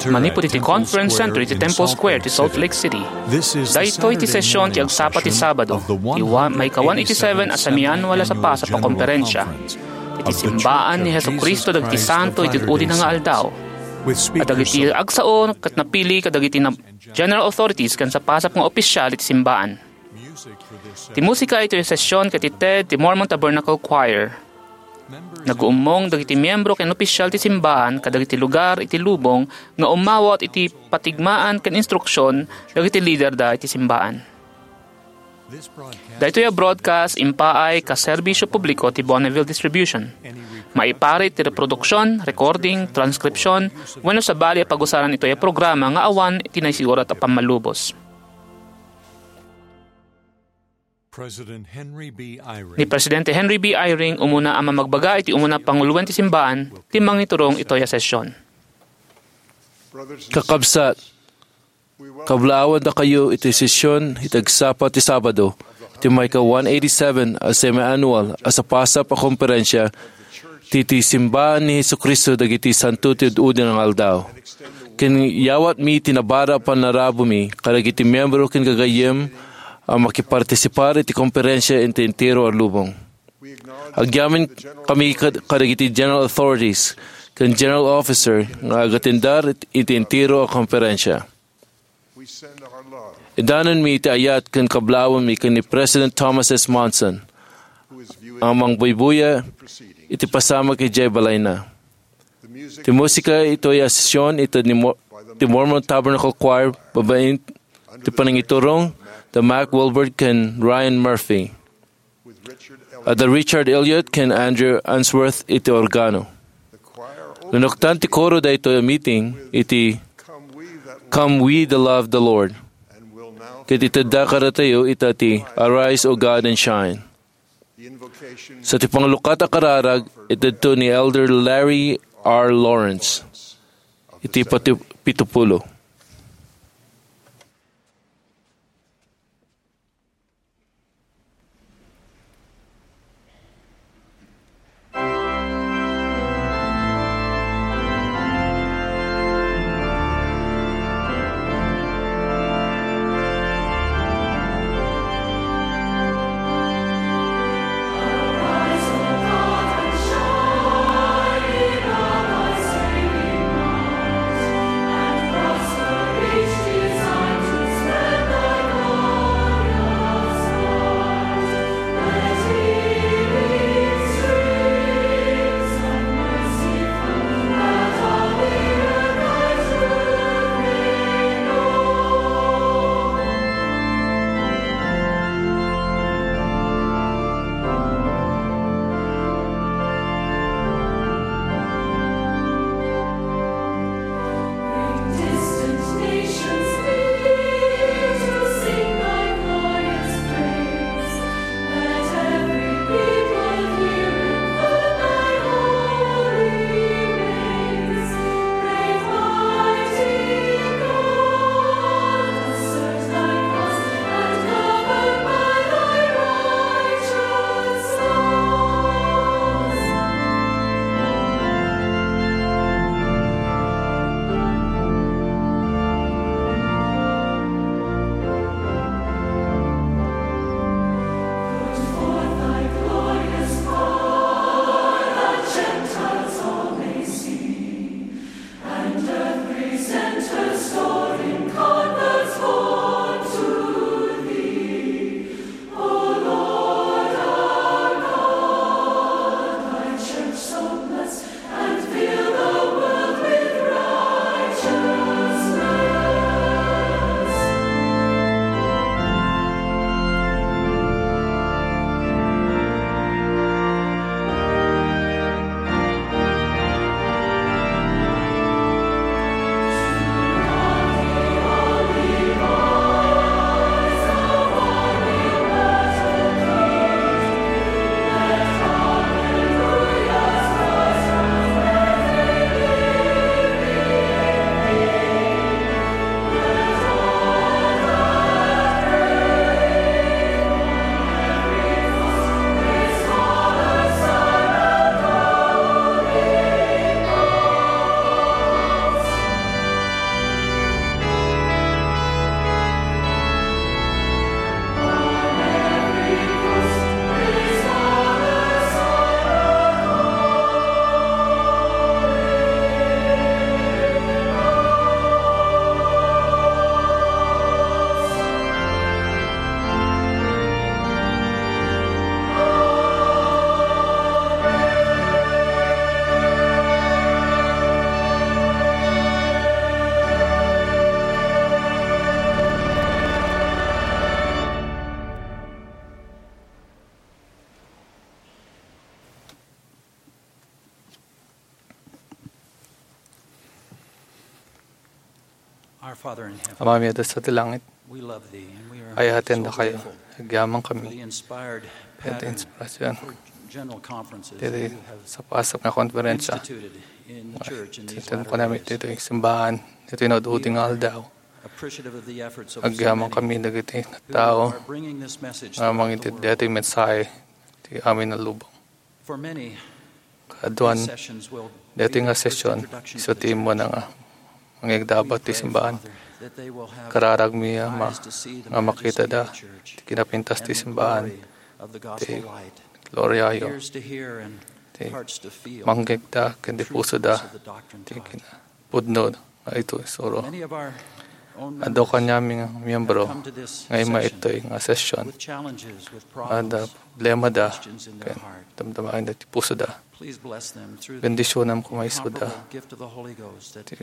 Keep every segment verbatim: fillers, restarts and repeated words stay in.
Manipud iti Conference Center iti Temple Square ti Salt Lake City. Daytoy ti session ti agsapa ti Sabado, ti wa-, maika one eighty-seven a semiannual a sapasap a konferensya iti simbaan ni Jesu-Cristo dagiti santo iti udi nga aldaw. Kadagiti agsao ket napili kadagiti na-, general authorities ken sapasap nga opisyal iti simbaan. Ti musika iti session ket ti Ted ti Mormon Tabernacle Choir. Naguummong dagiti miyembro ken opisyal ti simbaan kadagiti lugar iti lubong nga umawat iti patigmaan ken instruksion dagiti liderda iti simbaan. Daytoy a broadcast impaay kas serbisio publiko ti Bonneville Distribution. Maiparit ti reproduksion, recording, transkripsion, wenno sabali a pagusaran itoy a programa nga awan ti naisurat a pammalubos. President Henry B. Eyring. Ni Presidente Henry B. Eyring umuna a mamagbaga iti umuna a panguloen ti simbaan ti mangiturong itoy a session. Kakabsat, kablaawandakayo iti session iti agsapa ti Sabado, ti maika one eighty-seven a semiannual a sapasap a konferensya ti, ti simbaan ni Jesu-Cristo dagiti santo ti ud-udi nga aldaw. Ken yawatmi ti nabara a panarabuemi kadagiti miyembro ken gagayyem a makipartisipar iti konferensya iti entero a lubong. Agyaman kami kad-, kadagiti general authorities ken general officer nga agatendar it-, iti entero a konferensya. Idanonmi iti ayat ken kablaawmi ken ni President Thomas S. Monson a mangbuybuya iti pasamak idiay balayna. Ti musika itoy a session iti ni Mo-, ti Mormon Tabernacle Choir babaen ti panangiturong da Mac Wilbert ken Ryan Murphy. Adda Richard Elliott ken Andrew Unsworth iti organo. Nanuktan ti koro daytoy a meeting iti "Come We That Love the Lord." Ket itedda kadatayo ita ti "Arise, O God, and Shine." Sa ti panglukat a kararag, itedto ni Elder Larry R. Lawrence iti pati-, pitupulo. Our Father in heaven, Amami a Dios ti langit, we love thee and we are ay-ayaten so dakayo. Grateful agyamankami for the inspired iti pattern inspirasyon for general conferences that diri you have sapasap nga konferensya instituted in the church in these latter days. Ditoy simbahan, ditoy naududi nga aldaw. Appreciative of the efforts of so many agyamankami dagiti who tao are bringing this message nga throughout the mangitid world. Ditoy mensahe ti amin a lubong. For many, kaduan, these sessions will daytoy be nga the first session, introduction isu to the ti church. Immuna nga mangigdaba ti simbahan. Kararagmi a ma-, nga makitada ti kinapintas ti simbahan, ti gloriayo, ti manggegda ken ti pusoda, ti kinapudno nga isu ti isuro. Adu kaniami nga miyembro nga immuna itoy nga session. Adda problemada ken damdamaenna ti pusoda. Bendisionam koma isuda. Ti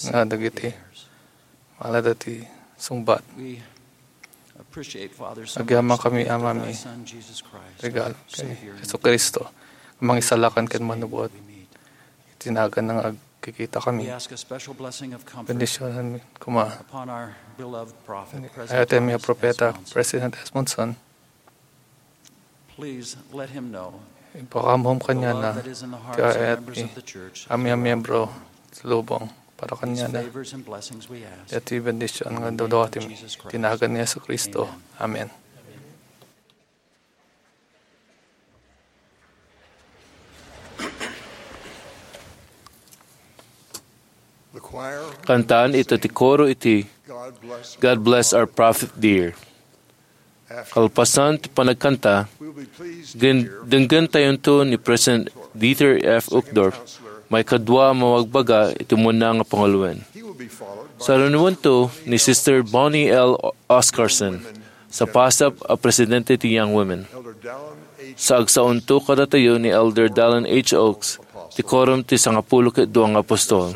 nga dagiti malada ti sungbat. Agyamankami, Amami, regalo ken Jesu-Cristo, mangisalakan ken manubuat. Iti naganna nga agkikitakami. Bendisionanmi koma. Ayatenmi a propeta, President S. Monson. Ipakaammo kaniana ti ayat ti amin a miyembro ti lubong para kaniana. Daytoy bendision nga dudawatmi iti nagan ni Jesu-Cristo. Amen. Kantaan ita ti koro iti God Bless Our Prophet Dear. Kalpasan ti panagkanta, denggen tayonto ni President Dieter F. Uchtdorf, maikadua a mabagbaga iti umuna nga panguloen. Sarunuento ni Sister Bonnie L. Oscarson, sapasap a presidente ti Young Women. Saagsaonto kadatayo ni Elder Dallin H. Oaks, ti Quorum ti Sangapulo ket Dua nga Apostol.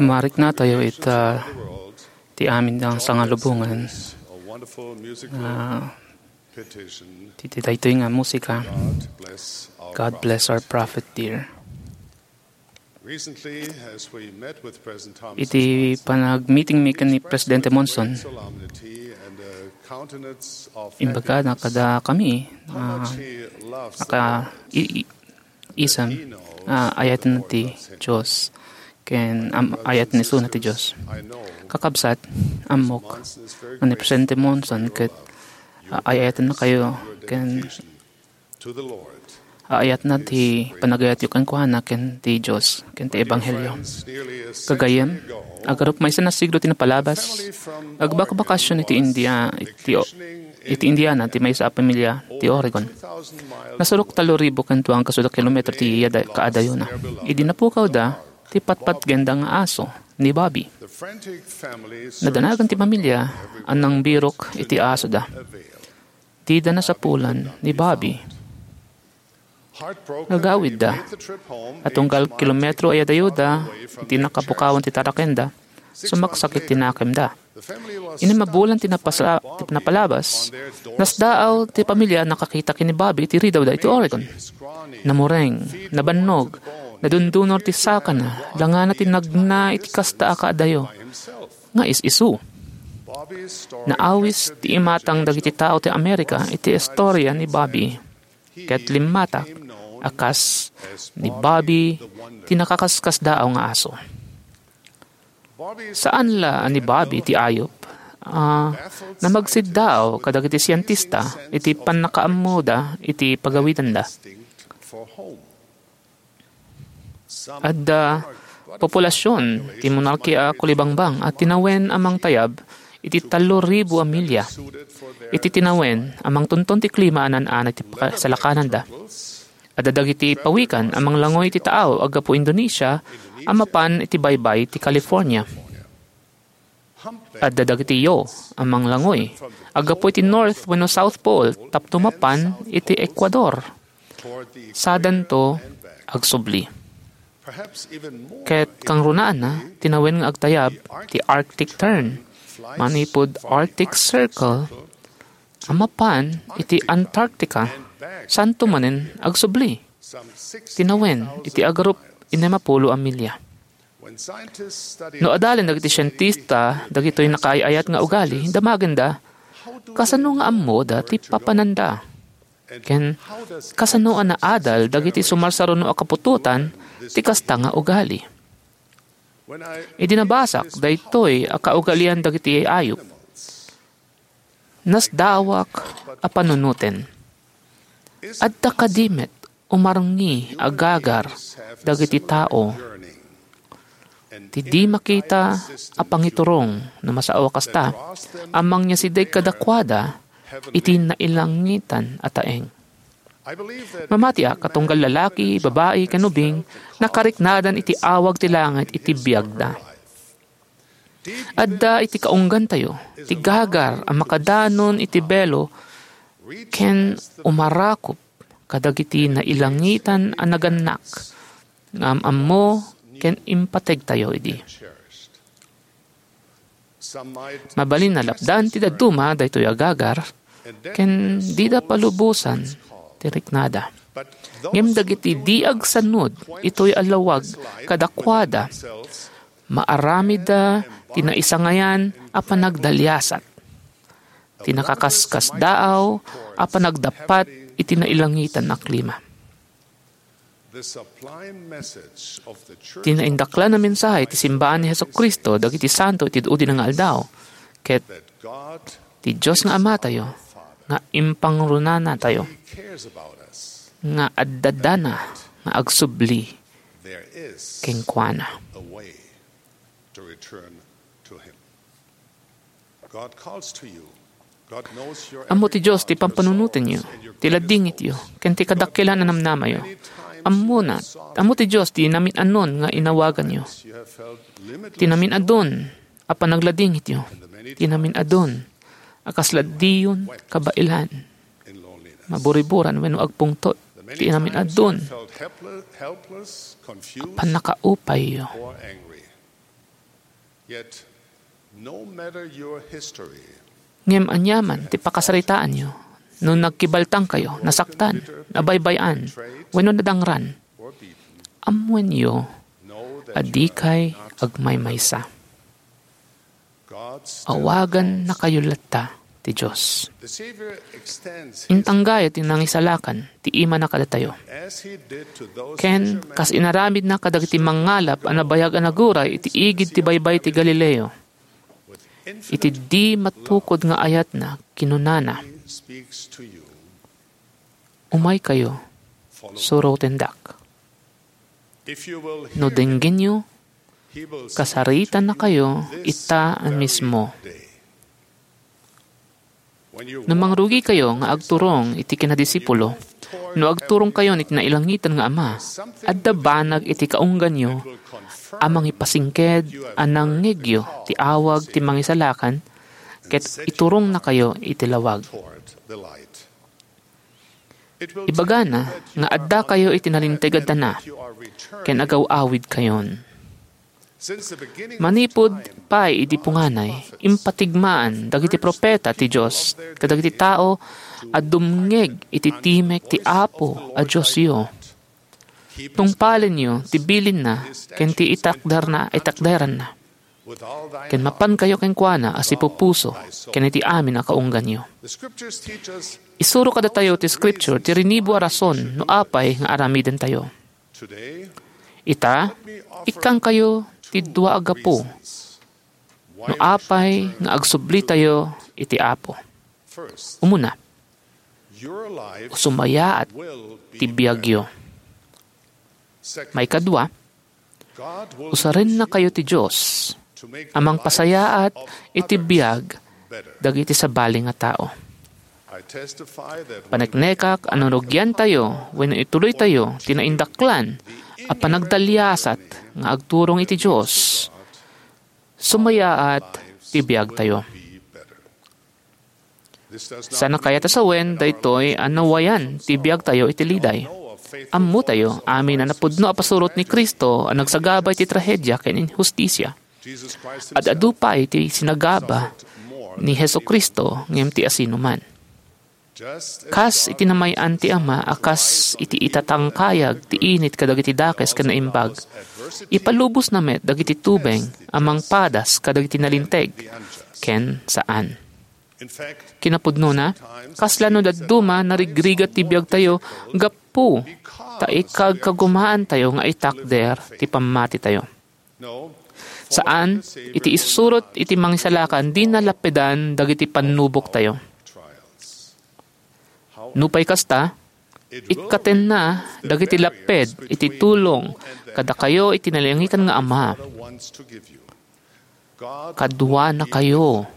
Mariknatayo ita ti amin a sangalubongan, ah, ti, ti daytoy nga musika, "God Bless Our Prophet Dear." Iti panagmeeting mi ken ni Presidente Monson, imbagana kada kami, ah, naka-, i-, i-, isem, ah, ayaten ti Dios, ken am-, ayaten isuna ti Dios. Kakabsat, ammok, nga ni Presidente Monson ket, ah, ay-ayaten na kayo, ken aayatna ti panagayatyo kenkuana ken ti Dios, ken ti Ebanghelio. Gagayyem, agarup maysa nga siglo ti napalabas, agbakbakasyon iti India, iti, iti Indiana, ti maysa a pamilia ti Oregon. Nasurok tallo ribu ken dua nga kasuda kilometro ti yada-, kaadayona. Idi napukawda, ti patpatgenda nga aso ni Bobby. Nadanagan ti pamilia a nangbirok iti asoda. Dida nasapulan ni Bobby. Nagawidda. A tunggal kilometro ay adayoda iti nakapukawan ti tarakenda, sumaksakit ti nakemda. Innem a bulan ti napasa-, ti napalabas, nasdaaw ti pamilia a nakakita ken ni Bobby iti ridawda iti Oregon. Namureng, nabannog, nadundunor ti sakana, langana ti nagna iti kasta a kaadayo nga is-isu. Naawis ti imatang dagiti tao ti Amerika iti istoria ni Bobby, ket limmatak a kas ni Bobby ti nakakaskasdaaw nga aso. Saan la a ni Bobby ti ayup a namagsiddaaw kadagiti sientista iti pannakaammoda iti pagawidenda. Adda populasion ti monarkia a kulibangbang a tinawen a mangtayab iti tallo ribu a milya. Iti tinawen a mangtunton ti klima a naan-ana ti paka-, salakananda. Adda dagiti pawikan a manglangoy iti taaw a gapu Indonesia a mapan iti baybay ti California. Adda dagiti yo a manglangoy a gapu iti North wenno South Pole tapno mapan iti Ecuador. Sadanto agsubli. Ket kangrunaanna, tinawen nga agtayab ti Arctic Tern, manipud Arctic Circle, a mapan iti Antarctica, saanto manen agsubli. Tinawen iti agarup innem a pulo a milya. No adalen dagiti sientista dagitoy nakaay-ayat nga ugali, damagenda, kasano nga ammoda ti papananda? Ken kasano a naadal dagiti sumarsaruno a kaputotan ti kasta nga ugali? Idi nabasak daytoy a kaugalian dagiti ayup, nasdaawak a panunoten. Adda kadi met umarngi a gagar dagiti tao ti di makita a pangiturong no masao a kasta a mangyasideg kadakuada iti nailangitan a taeng. Mamatiak a tunggal lalaki, babai, ken ubing, nakariknadan iti awag ti langit iti biagda. Adda iti kaunggantayo ti gagar a makadanon iti belo ken umarakup kadagiti nailangitan a nagannak nga am-ammo ken impategtayo idi. Mabalin a lapdan ti dadduma daytoy a gagar ken dida palubosan ti riknada. Ngem dagiti di agsanud itoy a lawag kadakuada, maaramidda ti naisangayan a panagdaliasat, ti nakaskasdaaw a panagdappat iti nailangitan a klima. Ti naindaklan a mensahe ti simbaan ni Jesu-Cristo dagiti santo iti udi nga aldaw, ket ti Dios nga Amatayo nga impangrunanatayo, nga adda dana nga agsubli kenkuana. Ammo ti Dios ti pampanunotenyo, ti ladingityo, ken ti kadakkelan a namnamayo. Ammona, ammo ti Dios ti namin-anon nga inawaganyo. Ti namin-adun a panagladingityo, ti namin-adun a kasla diyon kabaelan, maburiburan wenno agpungtot. ti inamin-addun, pannakaupayyo. Yet, no matter your history, Ngem aniaman ti pakasaritaanyo, no nagkibaltangkayo, nasaktan, nabaybay-an, wenno nadangran, ammoenyo a dikay agmaymaysa. Awagannakayo latta ti Dios. Intanggayo ti nangisalakan ti imana kadatayo. Ken kas inaramidna kadagiti mangngalap a nabayag a naguray iti igid ti baybay ti Galileo, iti di matukod nga ayatna, kinunana, "Umaykayo, surotendak. No denggenyo, kasaritannakayo ita a mismo." No mangrugikayo nga agturong iti kinadisipulo, no agturongkayon iti nailangitan nga Ama, adda banag iti kaungganyo a mangipasingked a nangngegyo ti awag ti Mangisalakan ket iturongnakayo iti lawag. Ibagana nga addakayo iti nalinteg a dana ken agaw-awidkayon. Manipud pay idi punganay, impatigmaan dagiti profeta ti Dios kadagiti tao a dumngeg iti timek ti Apo a Diosyo. Tungpalenyo ti bilinna ken ti itakderna, itakderanna. Ken mapankayo kenkuana a sipupuso ken iti amin a kaungganyo. Isuro kadatayo ti Scripture ti rinibo a rason no apay nga aramidentayo. Ita, ikkankayo ti dua a gapu no apay nga agsublitayo iti Apo. Umuna, sumayaat ti biagyo. Maikadua, usarennakayo ti Dios a mangpasayaat iti biag dagiti sabali nga tao. Paneknekak a no rugiantayo wenno ituloytayo ti naindaklan a panagdaliasat nga agturong iti Dios, sumayaat ti biagtayo. Saan a kayat a sawen daytoy a nawayan ti biagtayo iti liday. Ammotayo amin a napudno a pasurot ni Cristo a nagsagaba iti trahedia ken inhustisia. Ad-adu pay ti sinagaba ni Jesu-Cristo ngem ti asinoman. Kas iti namay-an ti Ama a kas iti itatangkayag ti init kadagiti dakes ken naimbag, ipalubosna met dagiti tubeng a mangpadas kadagiti nalinteg ken saan. Kinapudnona, kasla no dadduma narigrigat ti biagtayo gapu ta ikagkagumaantayo nga itakder ti pammatitayo. Saan, iti isusurot iti Mangisalakan, dina lappedan dagiti pannuboktayo. Nupay kasta, ikkatenna dagiti lapped iti tulong kadakayo iti nailangitan nga Ama. Kaduanakayo,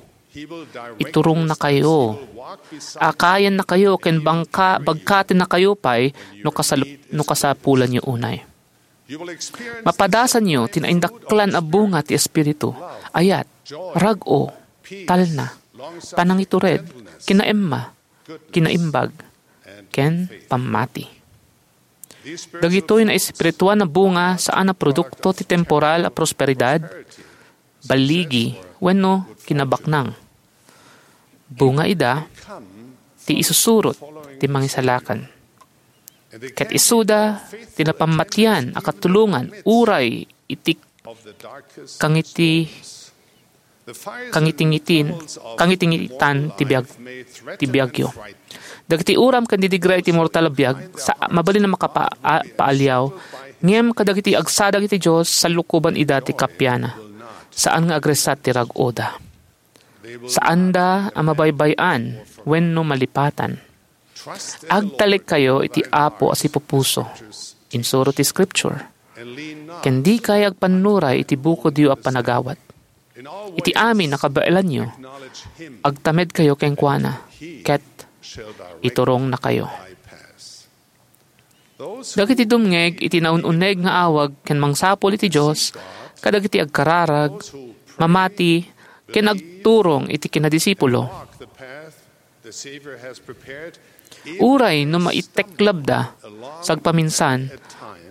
iturongnakayo, akayannakayo ken bangka-, bagkatennakayo pay no kasal-, no kasapulanyo unay. Mapadasanyo ti naindaklan a bunga ti Espiritu, ayat, rag-o, talna, panangitured, kinaemma, kinaimbag, ken pammati. Dagitoy naespirituan a bunga saan a produkto ti temporal a prosperidad, balligi, wenno kinabaknang. Bunga ida ti isusurot ti Mangisalakan. Ket isuda ti napammatian a katulongan uray iti kangiti-, kangitingitin-, kangitingitan ti biag-, ti biagyo. Dagiti uram ken didigra iti mortal a biag, sa-, mabalin a makapa-, a-, paaliaw, ngem kadagiti agsadag iti Dios, sallukoban ida ti kappia. Saan nga agresat ti rag-oda. Saanda a mabaybay-an wenno malipatan. Agtalekkayo iti Apo a sipupuso, insuro ti Scripture, ken dikay agpannuray iti bukodyo a panagawat. Iti amin a kabaelanyo, agtamedkayo kenkuana, ket iturongnakayo. Dagiti dumngeg iti naun-uneg nga awag ken mangsapul iti Dios kadagiti agkararag, mamati, ken agturong iti kinadisipulo. Uray no maiteklabda, sagpaminsan,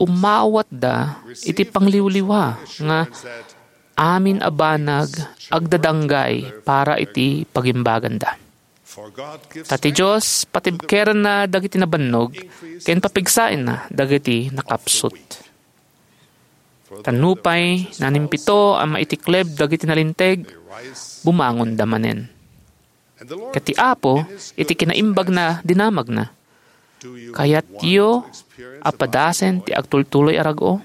umawatda iti pangliwliwa nga amin a banag agdadanggay para iti pagimbaganda. Ta ti Dios patibkerenna dagiti nabannog ken papigsaenna dagiti nakapsut. Ta nupay nanimpito a maitikleb dagiti nalinteg, bumangonda manen. Ket ti Apo, iti kinaimbagna, dinamagna, "Kayatyo a padasen ti agtultuloy a rag-o?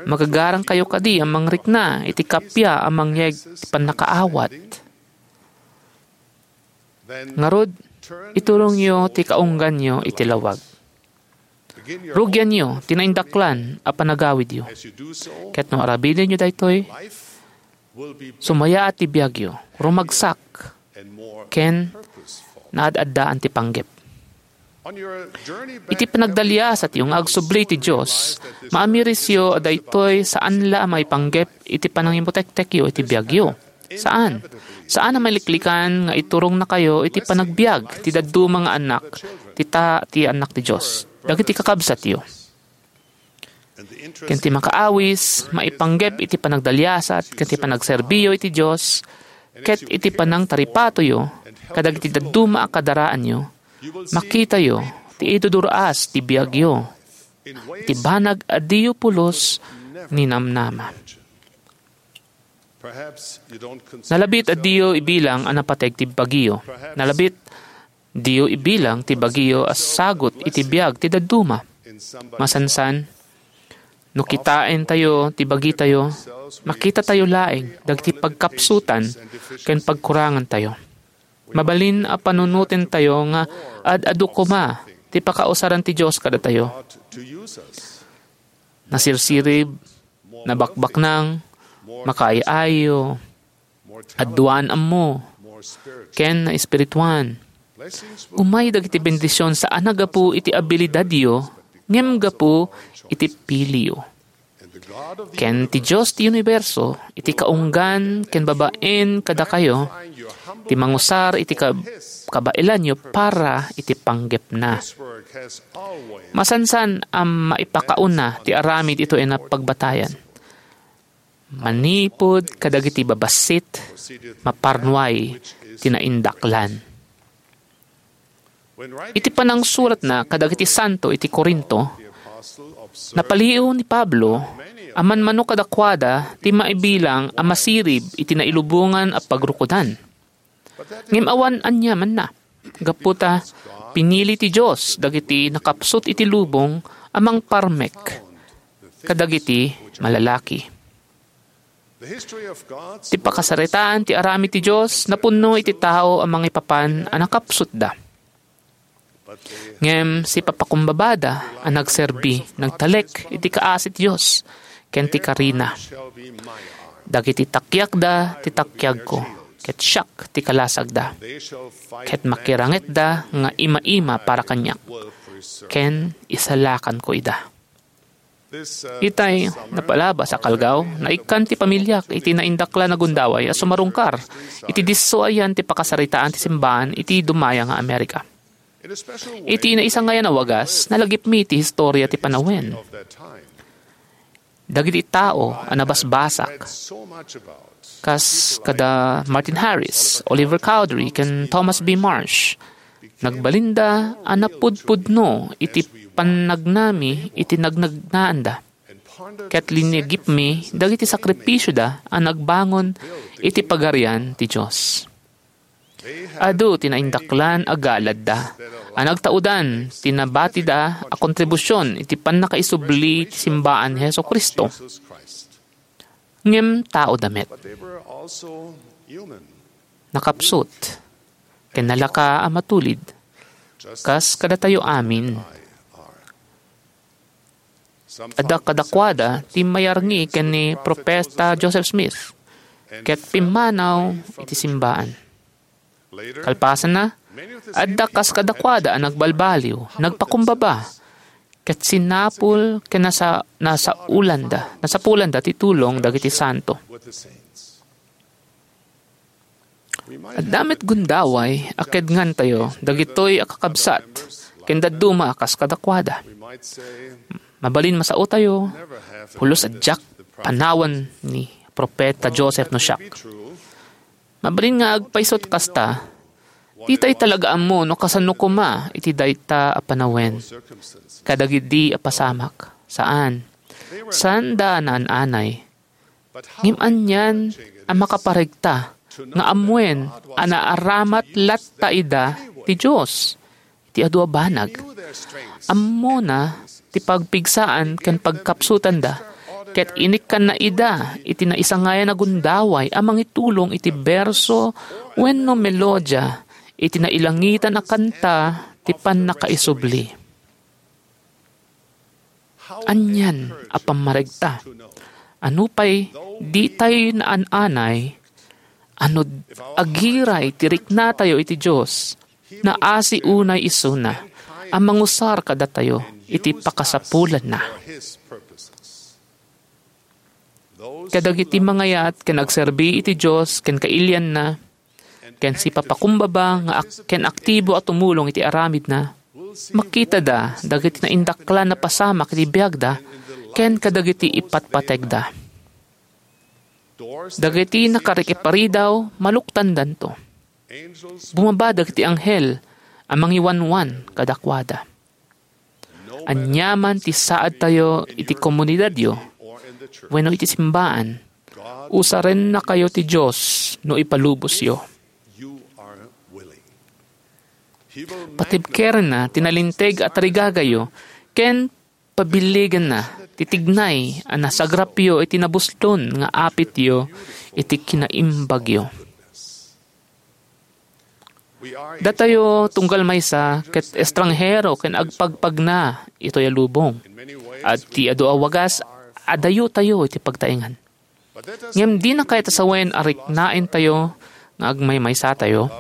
Magagarangkayo kadi a mangrikna iti kappia a mangyeg ti pannakaawat?" Ngarud, iturongyo ti kaungganyo iti lawag. Rugianyo ti naindaklan a panagawidyo. Ket no arabidenyo daytoy, sumayaat ti biagyo, rumagsak, ken naad-addaan ti panggep. Iti panagdaliasatyo nga agsubli ti Dios, maamirisyo a daytoy saan la a maipanggep iti panangimutektekyo iti biagyo. Saan. Saan a maliklikan nga iturongnakayo iti panagbiag ti dadduma nga annak, ti ta-, ti annak ti Dios, dagiti kakabsatyo. Ken ti makaawis, maipanggep iti panagdaliasat ken ti panagserbiyo iti Dios, ket iti panangtaripatoyo kadagiti dadduma a kadaraanyo, makitayo ti idudur-as ti biagyo, ti banag a diyo pulos ninamnama. Nalabit a diyo ibilang a napateg ti bagiyo. Nalabit diyo ibilang ti bagiyo a sagut iti biag ti dadduma. Masansan, no kitaentayo ti bagitayo, makitatayo laeng dagiti pagkapsutan ken pagkurangantayo. Mabalin a panunotentayo nga ad-adu koma ti pakausaran ti Dios kadatayo. Nasirsirib, nabakbaknang, makaay-ayo, aduan ammo, ken naespirituan. Umay dagiti bendision saan a gapu iti abilidadyo, ngem gapu iti piliyo. Ken ti Dios ti uniberso, iti kaunggan ken babaen kadakayo, ti mangusar iti kab-, kabaelanyo para iti panggepna. Masansan a maipakauna ti aramid itoy a pagbatayan. Manipud kadagiti babassit, maparnuay ti naindaklan. Iti panangsuratna kadagiti santo iti Corinto, napalio ni Pablo a manmano kadakuada ti maibilang a masirib iti nailubongan a pagrukodan. Ngem awan aniamanna, gapu ta pinili ti Dios dagiti nakapsut iti lubong a mangparmek kadagiti malalaki. Ti pakasaritaan ti aramid ti Dios napunno iti tao a mangipapan a nakapsutda. Ngem sipapakumbabada a nagserbi, nagtalek iti kaasi ti Dios ken ti karina. Dagiti takiakda ti takiakko, ket siak ti kalasagda. Ket makirangetda nga ima-ima para kaniak, ken isalakanko ida. Itay napalabas a kalgaw, naikkan ti pamiliak iti naindaklan a gundaway a sumarungkar iti disso a yan ti pakasaritaan ti simbaan iti dumaya nga Amerika. Iti naisangayan a wagas, nalagipmi ti historia ti panawen. Dagiti tao a nabasbasak, kas kada Martin Harris, Oliver Cowdery, ken Thomas B. Marsh, nagbalinda a napudpudno iti pannagnami iti nagnagnaanda. Ket linigipmi dagiti sakripisioda a nagbangon iti Pagarian ti Dios. Adu ti naindaklan a galadda a nagtaudan ti nabatida a kontribusion iti pannakaisubli ti simbaan ni Jesu-Cristo. Ngem taoda met. Nakapsut ken nalaka a matulid, kas kadatayo amin. Adda kadakuada ti mayarngi ken ni Profeta Joseph Smith, ket pimmanaw iti simbaan. Kalpasanna, adda kas kadakuada a nagbalbaliw, nagpakumbaba, ket sinapul ken nasa-, nasaulanda, nasapulanda ti tulong dagiti santo. Adda met gundaway a kedngantayo dagitoy a kakabsat ken dadduma a kas kadakuada. Mabalin masaotayo, "Pulos a diak panawen ni Propeta Joseph no siak." Mabalin nga agpaysot kasta, ditay talaga ammo no kasano koma iti dayta a panawen kadagidi a pasamak. Saan. Saanda naan-anay. Ngem anian a makaparegta nga ammoen a naaramat latta ida ti Dios iti adu a banag. Ammona ti pagpigsaan ken pagkapsutanda, ket inikkanna ida iti naisangayan a gundaway a mangitulong iti berso wenno melodia iti nailangitan a kanta ti pannakaisubli. Anian a pammaregta! Ano pay, ditay naan-anay, ano agiray ti riknatayo iti Dios, naasi unay isuna a mangusar kadatayo iti pakasapulanna. Kadagiti mangayat ken agserbi iti Dios ken kailianna, ken sipapakumbaba nga ak-, ken aktibo a tumulong iti aramidna, makitada dagiti naindaklan a pasamak iti biagda ken kadagiti ipatpategda. Dagiti nakarikiparidaw, maluktandanto. Bumaba dagiti anghel a mangiwanwan kadakuada. Aniaman ti saadtayo iti komunidadyo wenno iti simbaan, usarennakayo ti Dios no ipalubosyo. Patibkerenna ti nalinteg a tarigagayo ken pabilligenna ti tignay a nasagrapyo iti nabuslon nga apityo iti kinaimbagyo. Datayo tunggal maysa ket estranghero ken agpagpagna itoy a lubong. Iti adu a wagas, adayotayo iti pagtaengan. Ngem dina kayat a sawen a riknaentayo nga agmaymaysatayo.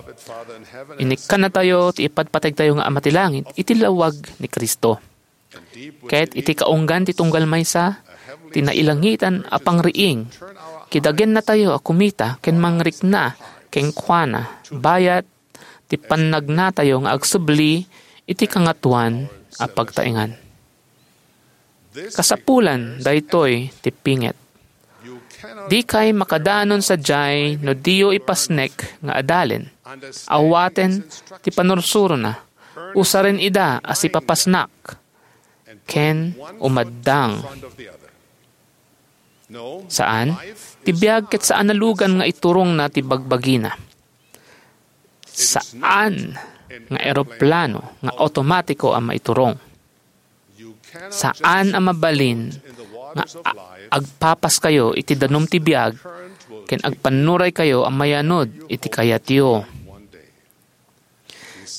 Inikkannatayo ti ipatpategtayo nga Ama ti Langit iti lawag ni Cristo. Ket iti kaunggan ti tunggal maysa, ti nailangitan a pangriing, kidagennatayo a kumita ken mangrikna kenkuana bayat ti pannagnatayo nga agsubli iti Kangatoan a pagtaengan. Kasapulan daytoy ti pinget. Dikay makadanon sadiay no diyo ipasnek nga adalen. Awaten ti panursurona. Usaren ida a sipapasnak ken umaddang. Saan, ti biag ket saan a lugan nga iturongna ti bagbagina. Saan nga eroplano nga automatiko a maiturong. Saan a mabalin nga a-, agpapaskayo iti danum ti biag ken agpannuraykayo a mayanod iti kayatyo.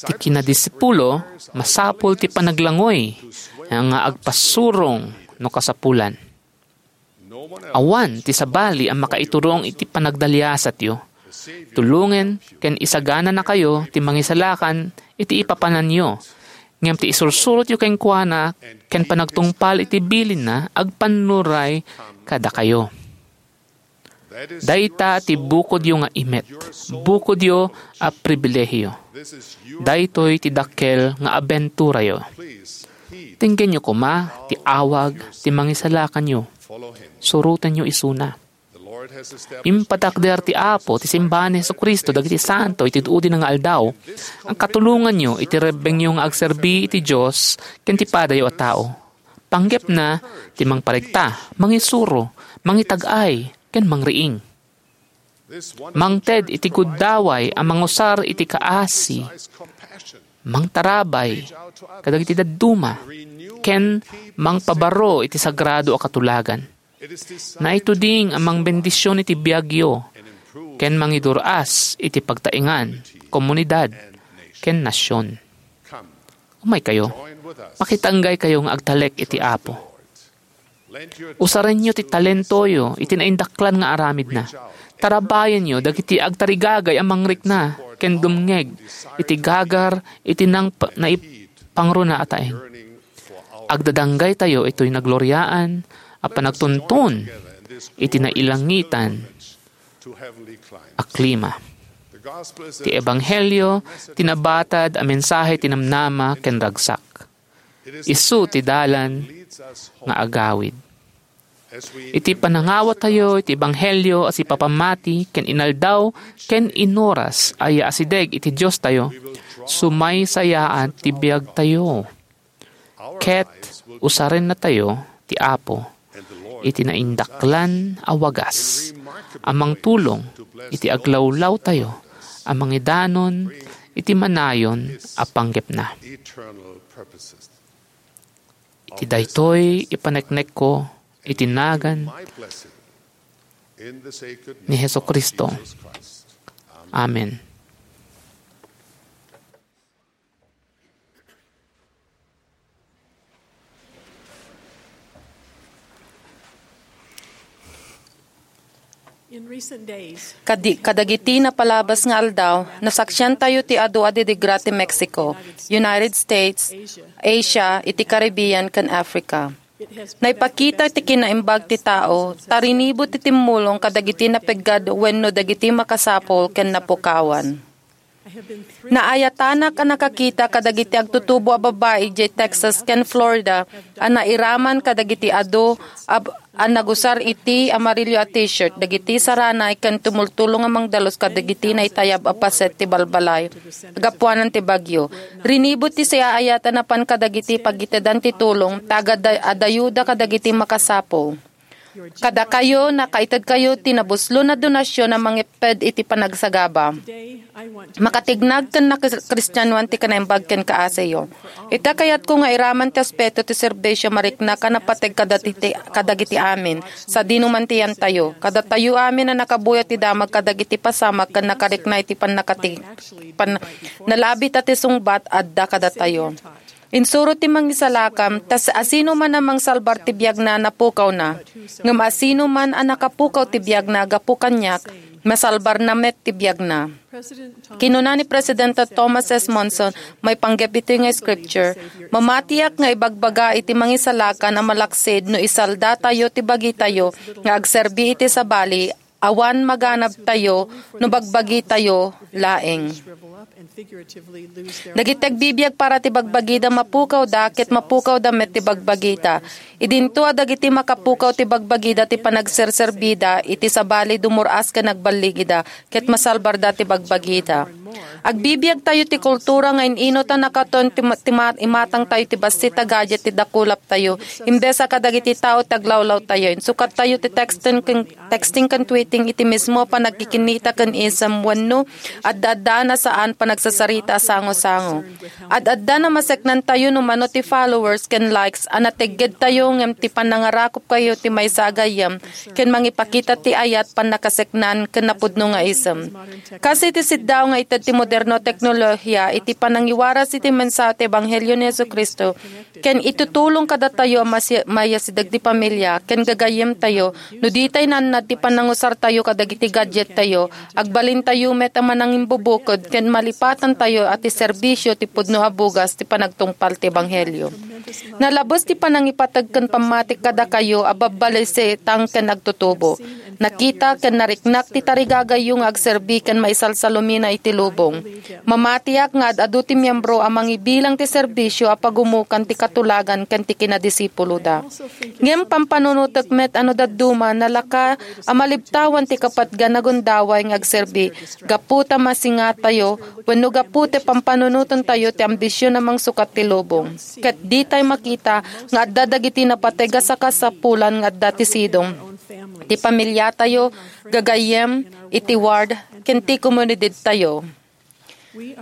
Ti kinadisipulo, masapul ti panaglangoy nga agpasurong no kasapulan. Awan ti sabali a makaiturong iti panagdaliasatyo. Tulongen ken isagananakayo ti mangisalakan iti ipapananyo, ngem ti isursurotyo kenkuana ken panagtungpal iti bilinna agpannuray kadakayo. Dayta ti bukodyo nga imet, bukodyo a pribilehiyo. Daytoy ti dakkel nga abenturayo. Tenggenyo koma ti awag ti mangisalakanyo. Surotenyo isuna. Impatakder ti Apo ti simbahan ni Jesu-Cristo dagiti santo iti udi nga aldaw. Agkatulonganyo iti rebbengyo nga agserbi iti Dios ken ti padayo a tao. Panggepna ti mangparegta, mangisuro, mangitag-ay, ken mangriing. Mangted iti guddaway a mangusar iti kaasi, mangtarabay kadagiti dadduma, ken mangpabaro iti sagrado a katulagan. Naituding a mangbendision iti biagyo, ken mangidur-as iti pagtaengan, komunidad, ken nasion. Umaykayo, makitanggaykayo nga agtalek iti Apo. Usarenyo ti talentoyo iti naindaklan nga aramidna. Tarabayenyo dagiti agtarigagay a mangrikna ken dumngeg iti gagar iti nang-, naipangruna a taeng. Agdadanggaytayo itoy nagloriaan a panagtuntun iti nailangitan a klima. Ti ebanghelio ti nabatad a mensahe ti namnama ken ragsak. Isu ti dalan nga agawid. Iti panangawatayo iti ebanghelio a sipapammati ken inaldaw ken inoras a yaasideg iti Diostayo, sumaysayaat ti biagtayo. Ket usarennatayo ti Apo iti naindaklan a wagas a mangtulong iti aglawlawtayo a mangidanon iti manayon a panggepna. Iti daytoy ipaneknekko iti nagan ni Jesu-Cristo. Amen. In recent days, Kadi-, kadagiti napalabas nga aldaw, nasaksiantayo ti adu a didigra ti Mexico, United States, Asia, iti Caribbean, ken Africa. Naipakita ti kinaimbag ti tao, ta rinibo ti timmulong kadagiti napeggad wenno dagiti makasapul ken napukawan. Naayatanak a nakakita kadagiti agtutubo a babbai idiay Texas ken Florida a nairaman kadagiti adu a, a nagusar iti amarillo a T-shirt, dagiti saranay ken tumultulong a mangdalus kadagiti naitayab a paset ti balbalay gapuanan ti bagyo. Rinibo ti siaayat a napan kadagiti pagitedan ti tulong ta agada-, adayuda kadagiti makasapul. Kadakayo, nakaitedkayo ti nabuslon a donasyon a mangipped iti panagsagaba, makatignag ken nakristianoan ti kinaimbag ken kaasiyo. Ita kayatko nga iraman ti aspeto ti serbisio mariknak a napateg kadagiti, kadagiti amin, sadino man ti yantayo. Kadatayo amin a nakabuya ti damag kadagiti pasamak ken nakarikna iti pannakati-, pan-, nalabit a ti sungbat adda kadatayo. Insuro ti mangisalakan, ta asino man a mangsalbar ti biagna, napukawna. Ngem asino man a nakapukaw ti biagna gapu kaniak, masalbarna met ti biagna. Kinuna ni Presidente Thomas S. Monson, maipanggep iti nga scripture, "Mamatiak nga ibagbaga iti mangisalakan a malaksid no isaldatayo ti bagitayo nga agserbi iti sabali, awan maganabtayo no bagbagitayo laeng." Dagiti agbibiag para ti bagbagida, mapukawda, ket mapukawda met ti bagbagida. Idinto a dagiti makapukaw ti bagbagida ti panagserserbida iti sabali, dumur-as ken agballigida, ket masalbarda ti bagbagida. Agbibiagtayo ti kultura nga in-inut a nakaton ti ma-, ti ma-, imatangtayo ti bassit a gadget ti dakulaptayo, imbes a kadagiti tao ti aglawlawtayo. Insukattayo ti texting ken, texting ken tweeting iti mismo a panagkikinnita ken isem wenno adda-addaan a saan panagsasarita a sango-sango. Ad-adda namaseknantayo no mano ti followers ken likes a nateggedtayo ngem ti panangarakupkayo ti maysa a gayyem ken mangipakita ti ayat, pannakaseknan, ken napudno nga isem. Kas iti siddaw nga ited ti moderno a teknolohiya iti panangiwaras iti mensahe ti Ebanghelio ni Jesu-Cristo, ken itutulong kadatayo a masi-, mayasideg ti pamilia ken gagayyemtayo no ditay naannad ti panangusartayo kadagiti gadgettayo, agbalintayo met a manangimbubukod ken malipatantayo a ti serbisio ti pudno a bugas ti panagtungpal ti Ebanghelio. Nalabes ti panangipateg ken pammati kadakayo a babbalisitan ken agtutubo. Nakita ken nariknak ti tarigagayyo nga agserbi ken maisalsalumina iti lubong. Mamatiak nga ad-adu ti miembro a mangibilang ti serbisio a pagumukan ti katulagan ken ti kinadisipuloda. Ngem pampanunotek met a no dadduma, nalaka a malibtawan ti kapatgan a gundaway nga agserbi gapu ta masingatayo wenno gapu ti pampanunotentayo ti ambision a mangsukat ti lubong. Ket ditay makita nga adda dagiti napateg a sakasapulan nga adda ti sidong ti pamiliatayo, gagayyem, iti ward, ken ti komunidadtayo.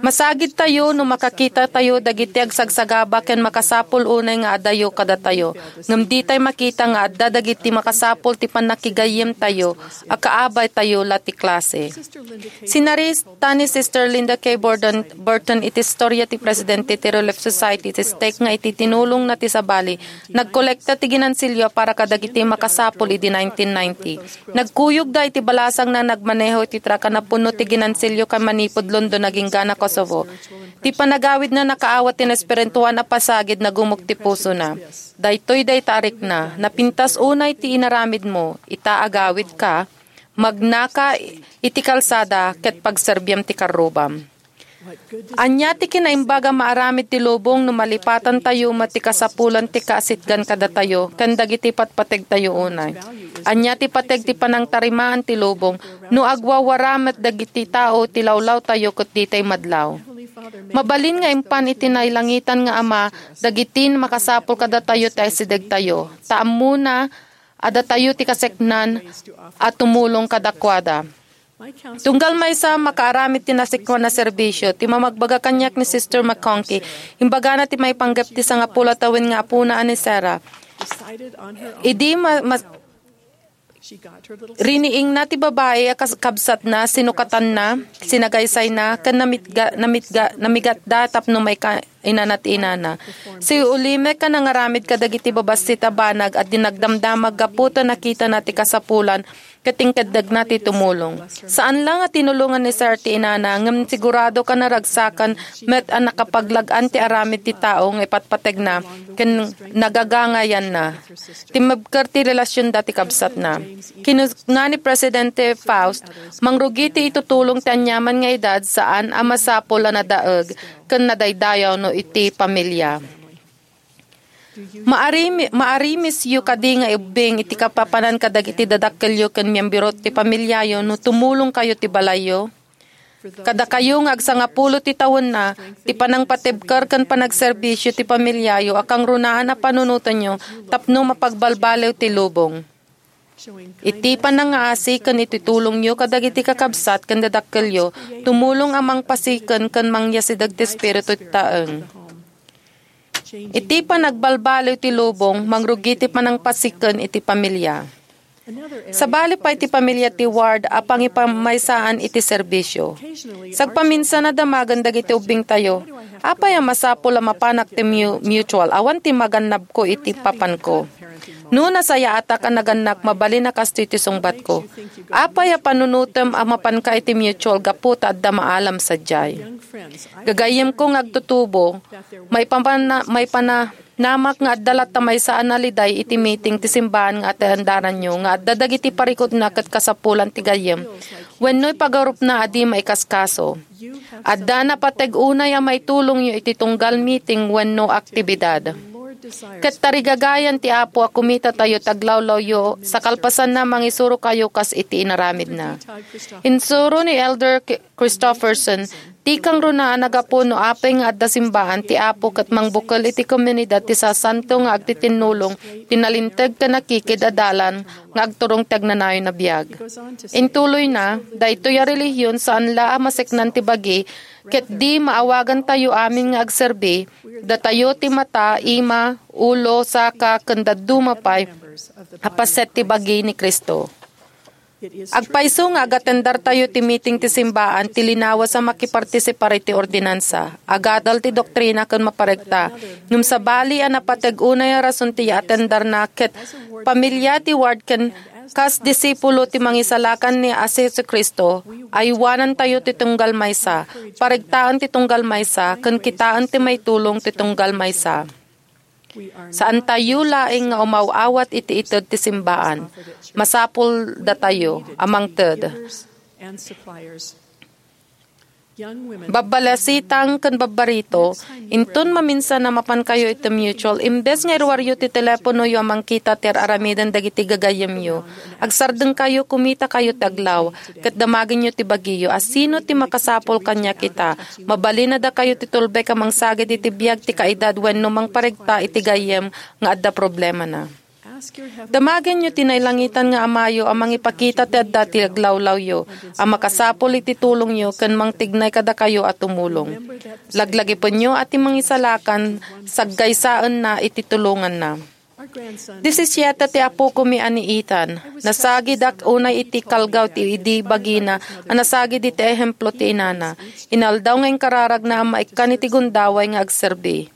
Masagidtayo no makakitatayo dagiti agsagsagaba ken makasapul unay nga adayo kadatayo, ngem ditay makita nga adda dagiti makasapul ti pannakigayyemtayo a kaabaytayo la ti klase. Sinarita ni Sister Linda K. Burton, Burton iti istoria ti presidente ti Relief Society ti stake nga iti tinulongna ti sabali, nagkolekta ti ginansilio para kadagiti makasapul idi nineteen ninety. Nagkuyogda iti balasangna, nagmaneho iti truck a napuno ti ginansilio ken manipud London agingga na Kosovo. Ti panagawidna nakaawat ti naespirituan a pasagid, nagumok ti pusona. Daytoy dayta a rikna, napintas unay ti inaramidmo, ita agawidka, magnaka iti kalsada ket pagserbiam ti karrubam. Ania ti kinaimbag a maaramid ti lubong no malipatantayo met ti kasapulan ti kaasitgan kadatayo ken dagiti patpategtayo unay? Ania ti pateg ti panangtarimaan ti lubong no agwawara met dagiti tao ti lawlawtayo ket ditay madlaw? Mabalin nga impan iti nailangitan nga Ama dagiti makasapul kadatayo ti asidegtayo, ta ammona a datayo ti kaseknan a tumulong kadakuada. Tunggal maysa, makaaramid ti nasikwan a serbisyo. Ti mamagbaga kaniak ni Sister McConkie, imbagana ti maipanggep ti sangapulo a tawen nga apona a ni Sarah. Idi ma-, ma-, riniingna ti babai a kas-, kabsatna, sinukatanna, sinagaysayna, ken namitga-, namitga-, namigatda tapno maika-, inana ti inana. Si Ulimek a nangaramid kadagiti babassit a banag a dinagdamdamag gapu ta nakitana ti kasapulan ket inkeddegna ti tumulong. Saan la nga tinulongan ni Sir ti inana, ngem sigurado ka naragsakan met a nakapaglag-an ti aramid ti tao nga ipatpategna ken nagagangayanna. Timmebker ti relasionda ti kabsatna. Kinuna ni Presidente Faust, "Mangrugi ti itutulong ti aniaman nga edad, saan a masapul a nadaeg ken nadaydayaw no iti pamilya." Maarimi-, maarimisyo kadi nga ubbing iti kapapanan kadagiti dadakkelyo ken miembro ti pamilyayo no tumulong kayo ti balayyo? Kadakayo nga agsangapulo ti tawenna, ti panangpatibker ken panagserbisyo ti pamilyayo a kangrunaan a panunotenyo tapno mapagbalbaliw ti lubong. Iti panangaasi ken iti tulongyo kadagiti kakabsat ken dadakkelyo, tumulong a mangpasiken ken mangyasideg ti espiritu ti taeng. Iti panagbalbaliw ti lubong, mangrugi ti panangpasiken iti pamilya. Sabali pay ti pamilya ti Ward a pangipamaysaan iti serbisyo. Sagpaminsan a damagen dagiti ubbingtayo, "Apay a masapul a mapanak ti mu-, mutual? Awan ti magannabko iti papanko. No nasayaatak a nagannak, mabalin a kastoy ti sungbatko. Apay a panunotem a mapanka iti mutual gapu ta adda maalam sadiay?" Gagayyemko nga agtutubo, maipamana-, maipana-, namak nga adda latta maysa a naliday iti meeting ti simbaan nga atendaranyo nga adda dagiti parikutna ket kasapulan ti gayyem wenno ipagarupna a di maikaskaso. Adda napateg unay a maitulongyo iti tunggal meeting wenno aktibidad. Ket tarigagayan ti Apo a kumitatayo ti aglawlawyo sa kalpasanna mangisurokayo kas iti inaramidna. Insuro ni Elder K-, Christofferson, ti kangrunaan a gapu no apay nga adda simbaan ti Apo ket mangbukel iti komunidad ti sasanto nga agtitinnulong ti nalinteg ken nakikid a dalan nga agturong ti agnanayon a biag. Intuloyna, daytoy a relihiyon saan la a maseknan ti bagi ket di maawagantayo amin nga agserbi, datayo ti mata, ima, ulo, saka, ken dadduma pay a paset ti bagi ni Cristo. Agpayso nga agatendartayo ti meeting ti simbaan ti linawas a makipartisipar iti ordinansa, agadal ti doktrina ken maparegta. Ngem sabali a napateg unay a rason ti yaatendarna ket pamilya ti Ward ken kas disipulo ti Mangisalakan ni a Jesu-Cristo, aywanantayo ti tunggal maysa, paregtaen ti tunggal maysa, ken kitaen ti maitulong ti tunggal maysa. Saantayo laeng nga umaw-awat iti ited ti simbaan. Masapul datayo a mangted. Babbalasitang ken babbarito, inton maminsan a mapankayo iti mutual, imbes nga iruaryo ti teleponoyo a mangkita ti ar-aramiden dagiti gagayyemyo, agsardengkayo, kumitakayo ti aglaw, ket damagenyo ti bagiyo a sino ti makasapul kaniak ita. Mabalin a dakayo ti tulbek a mangsagid iti biag ti kaidad wenno mangparegta iti gayyem nga adda problemana. Damagenyo ti nailangitan nga Amayo a mangipakita ti adda ti aglawlawyo a makasapul iti tulongyo ken mangtignay kadakayo a tumulong. Laglagipenyo a ti Mangisalakan saggaysaenna iti tulonganna. Disisiete ti apokami a ni Ethan. Nasagidak unay iti kalgaw ti idi bagina a nasagid iti ehemplo ti inana. Inaldaw nga inkararagna a maikkan iti gundaway nga agserbi.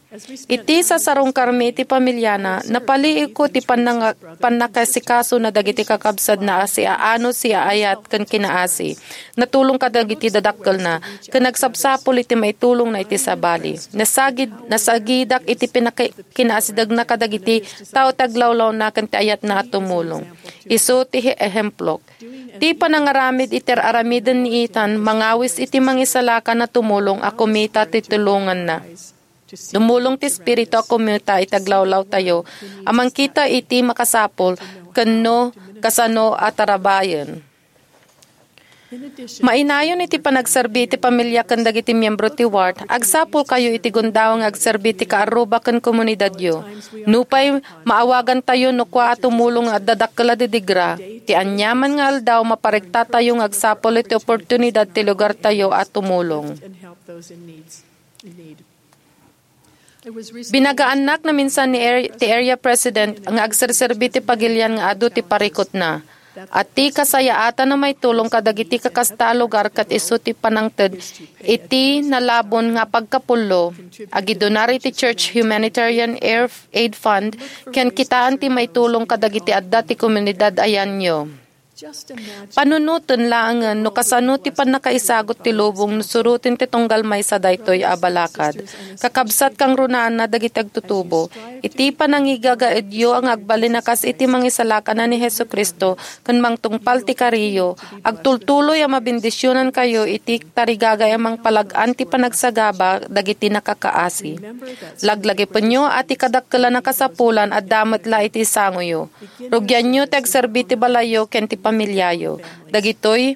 Iti sasarungkarmi iti pamiliana, napaliiwko ti pannanga-, pannakasikasona dagiti kakabsatna a siaano, siaayat, ken kinaasi. Natulong kadagiti dadakkelna, ken nagsapsapul iti maitulongna iti sabali. Nasagid-, nasagidak iti pinaki-, kinaasidegna kadagiti tao ti aglawlawna ken ti ayatna a tumulong. Isu ti ehemplok. Ti panangaramid iti ar-aramiden ni Ethan mangawis iti mangisalakan a tumulong a kumita ti tulonganna. Dumulong ti Espiritu a kumita iti aglawlawtayo a mangkita iti makasapul ken no kasano a tarabayen. Mainayon iti panagserbi iti pamilia ken dagiti miembro ti ward, agsapulkayo iti gundawang nga agserbi iti kaarruba ken komunidadyo. Nupay maawagantayo no kua a tumulong nga adda dakkel a didigra, ti aniaman nga aldaw maparektatayo nga agsapul iti oportunidad ti lugartayo a tumulong. Binagaannak naminsan ni Ar-, ti Area President nga agserserbi ti pagilian nga adu ti parikutna. A ti kasayaatan a maitulong kadagiti kakasta a lugar ket isu ti panangted iti nalabon nga pagkapullo, agidunar iti Church Humanitarian Air Aid Fund, ken kitaan ti maitulong kadagiti adda ti komunidad a yanyo. Panunoten laengen no kasano ti pannakaisagut ti lubong no suroten ti tunggal maysa daytoy a balakad. Kakabsat, kangrunaanna dagiti agtutubo, iti panangigagaedyo nga agbalin a kas iti mangisalakan a ni Jesu-Cristo ken mangtungpal ti kariyo, agtultuloy a mabendisionankayo iti tarigagay a mangpalag-an ti panagsagaba dagiti nakakaasi. Laglagipenyo a ti kadakkelan a kasapulan adda met la iti sangoyo. Rugianyo ti agserbi ti balayyo ken ti pamiliayo. Dagitoy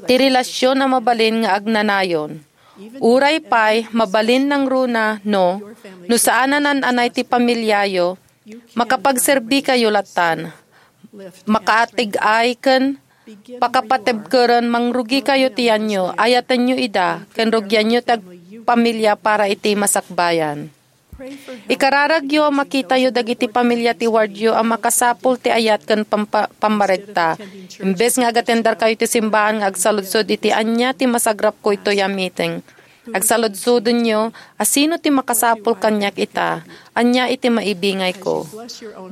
ti relasion a mabalin nga agnanayon. Uray pay mabalin nangruna no, no saan a nan-anay ti pamiliayo, makapagserbikayo lattan. Makaatig-ay ken pakapatibkeren, mangrugikayo ti yanyo, ayatenyo ida, ken rugianyo ti agpamilia para iti masakbayan. Ikararagyo a makitayo dagiti pamilia ti wardyo a makasapul ti ayat ken pampa-, pammaregta. Imbes nga agatenderkayo ti simbahan nga agsaludsod iti ania ti masagrapko itoy a meeting, agsaludsodenyo a sino ti makasapul kaniak ita, ania iti maibingayko.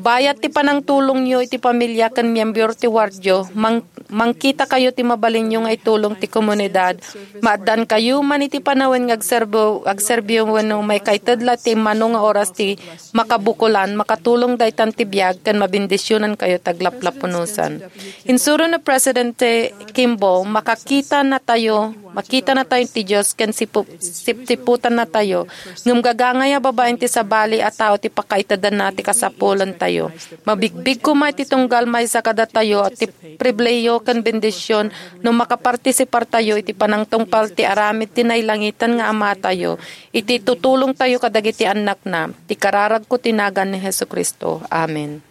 Bayat ti panangtulongyo iti pamilia ken miembro ti wardyo, mang-, mangkitakayo ti mabalinyo nga itulong ti komunidad. Maaddankayo man iti panawen nga agserbo-, agserbiyo wenno maikaited la ti mano nga oras ti makabukolan, makatulong daytan ti biag ken mabendisionankayo ti aglaplapunosan. Insuro ni Presidente Kimball, makakita natayo, makita natayo ti Dios ken sipu-, sipsiputannatayo, ngem gagangay a babaen ti sabali a tao ti pakaitedanna ti kasapulantayo. Mabigbig koma iti tunggal maysa kadatayo ti pribilehiyo ken bendision no makapartisipartayo iti panangtungpal ti aramid ti nailangitan nga Amatayo, iti tutulongtayo kadagiti annakna. Ti kararagko ti nagan ni Jesu-Cristo. Amen.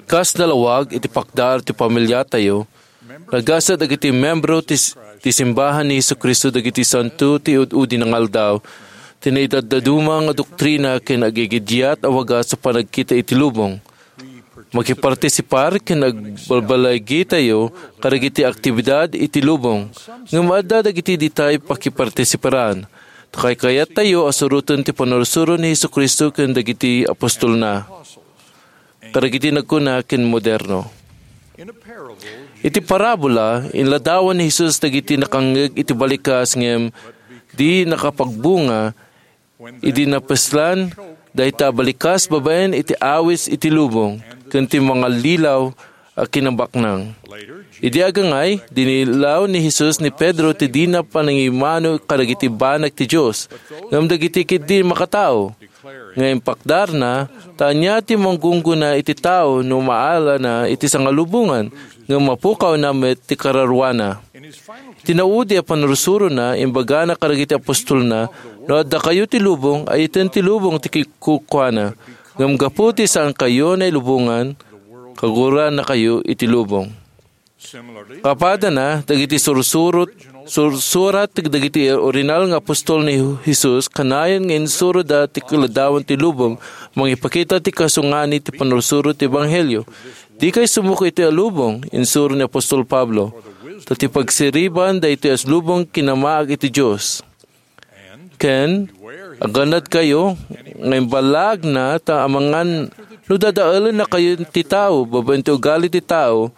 Kas nalawag iti pakdar ti pamiliatayo, nagasat dagiti membro ti, ti simbahan ni Jesu-Cristo dagiti santo ti ud-udi nga aldaw, ti naidaddaduma nga doktrina ken agigidiat a wagas a panagkita iti lubong. Makipartisipar ken agbalbalayagitayo kadagiti aktibidad iti lubong, ngem adda dagiti ditay pakipartisiparan. Ta kaykayattayo a suroten ti pannursuro ni Jesu-Cristo ken dagiti apostolna. Kadagiti nagkuna ken moderno. Iti parabola, inladawan ni Jesus dagiti nakangngeg iti balikas ngem di nakapagbunga idi napeslan dayta a balikas babaen iti awis iti lubong ken ti mangallilaw a kinabaknang. Idi agangay, dinillaw ni Jesus ni Pedro ti dina panangimano kadagiti banag ti Dios, ngem dagiti ketdi makatao. Nga impakdarna, ta ania ti manggunggona iti tao no maalana iti sangalubongan, ngem mapukawna met ti kararuana. Iti naudi a pannursurona, imbagana kadagiti apostolna, "No addakayo ti lubong, ayten ti lubong ti kikukuana. Ngem gapu ti saankayo nailubongan, kagurannakayo iti lubong." Kapadana, dagiti sursurot, sursurat dagiti original nga apostol ni Jesus, kanayon nga insuroda ti kaladawan ti lubong, mangipakita ti kasungani ti pannursuro ti ebanghelio. "Dikay sumuko iti a lubong," insuro ni apostol Pablo, "ta ti pagsiriban daytoy a lubong kinamaag iti Dios." Ken, "Agannadkayo nga imballaagna ta amangan no dadaelennakayo ti tao babaen ti ugali ti tao,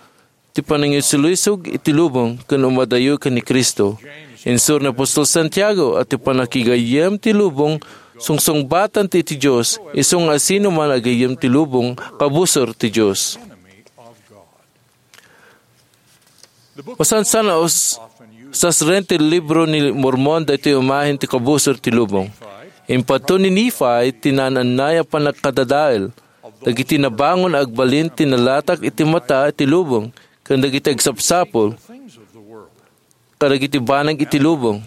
ti panangisulisog iti lubong ken umadayo ken ni Cristo." Insuro ni apostol Santiago a ti pannakigayyem ti lubong sungsungbatan ti iti Dios, isu nga asino man agayyem ti lubong, kabusor ti Dios. Masansan a us-, sasren ti libro ni Mormon daytoy umahin ti kabusor ti lubong. Impadto ni Nephi ti naan-annay a pannakadadael dagiti nabangon a agbalin ti nalatak iti mata ti lubong ken dagiti agsapsapul kadagiti banag iti lubong.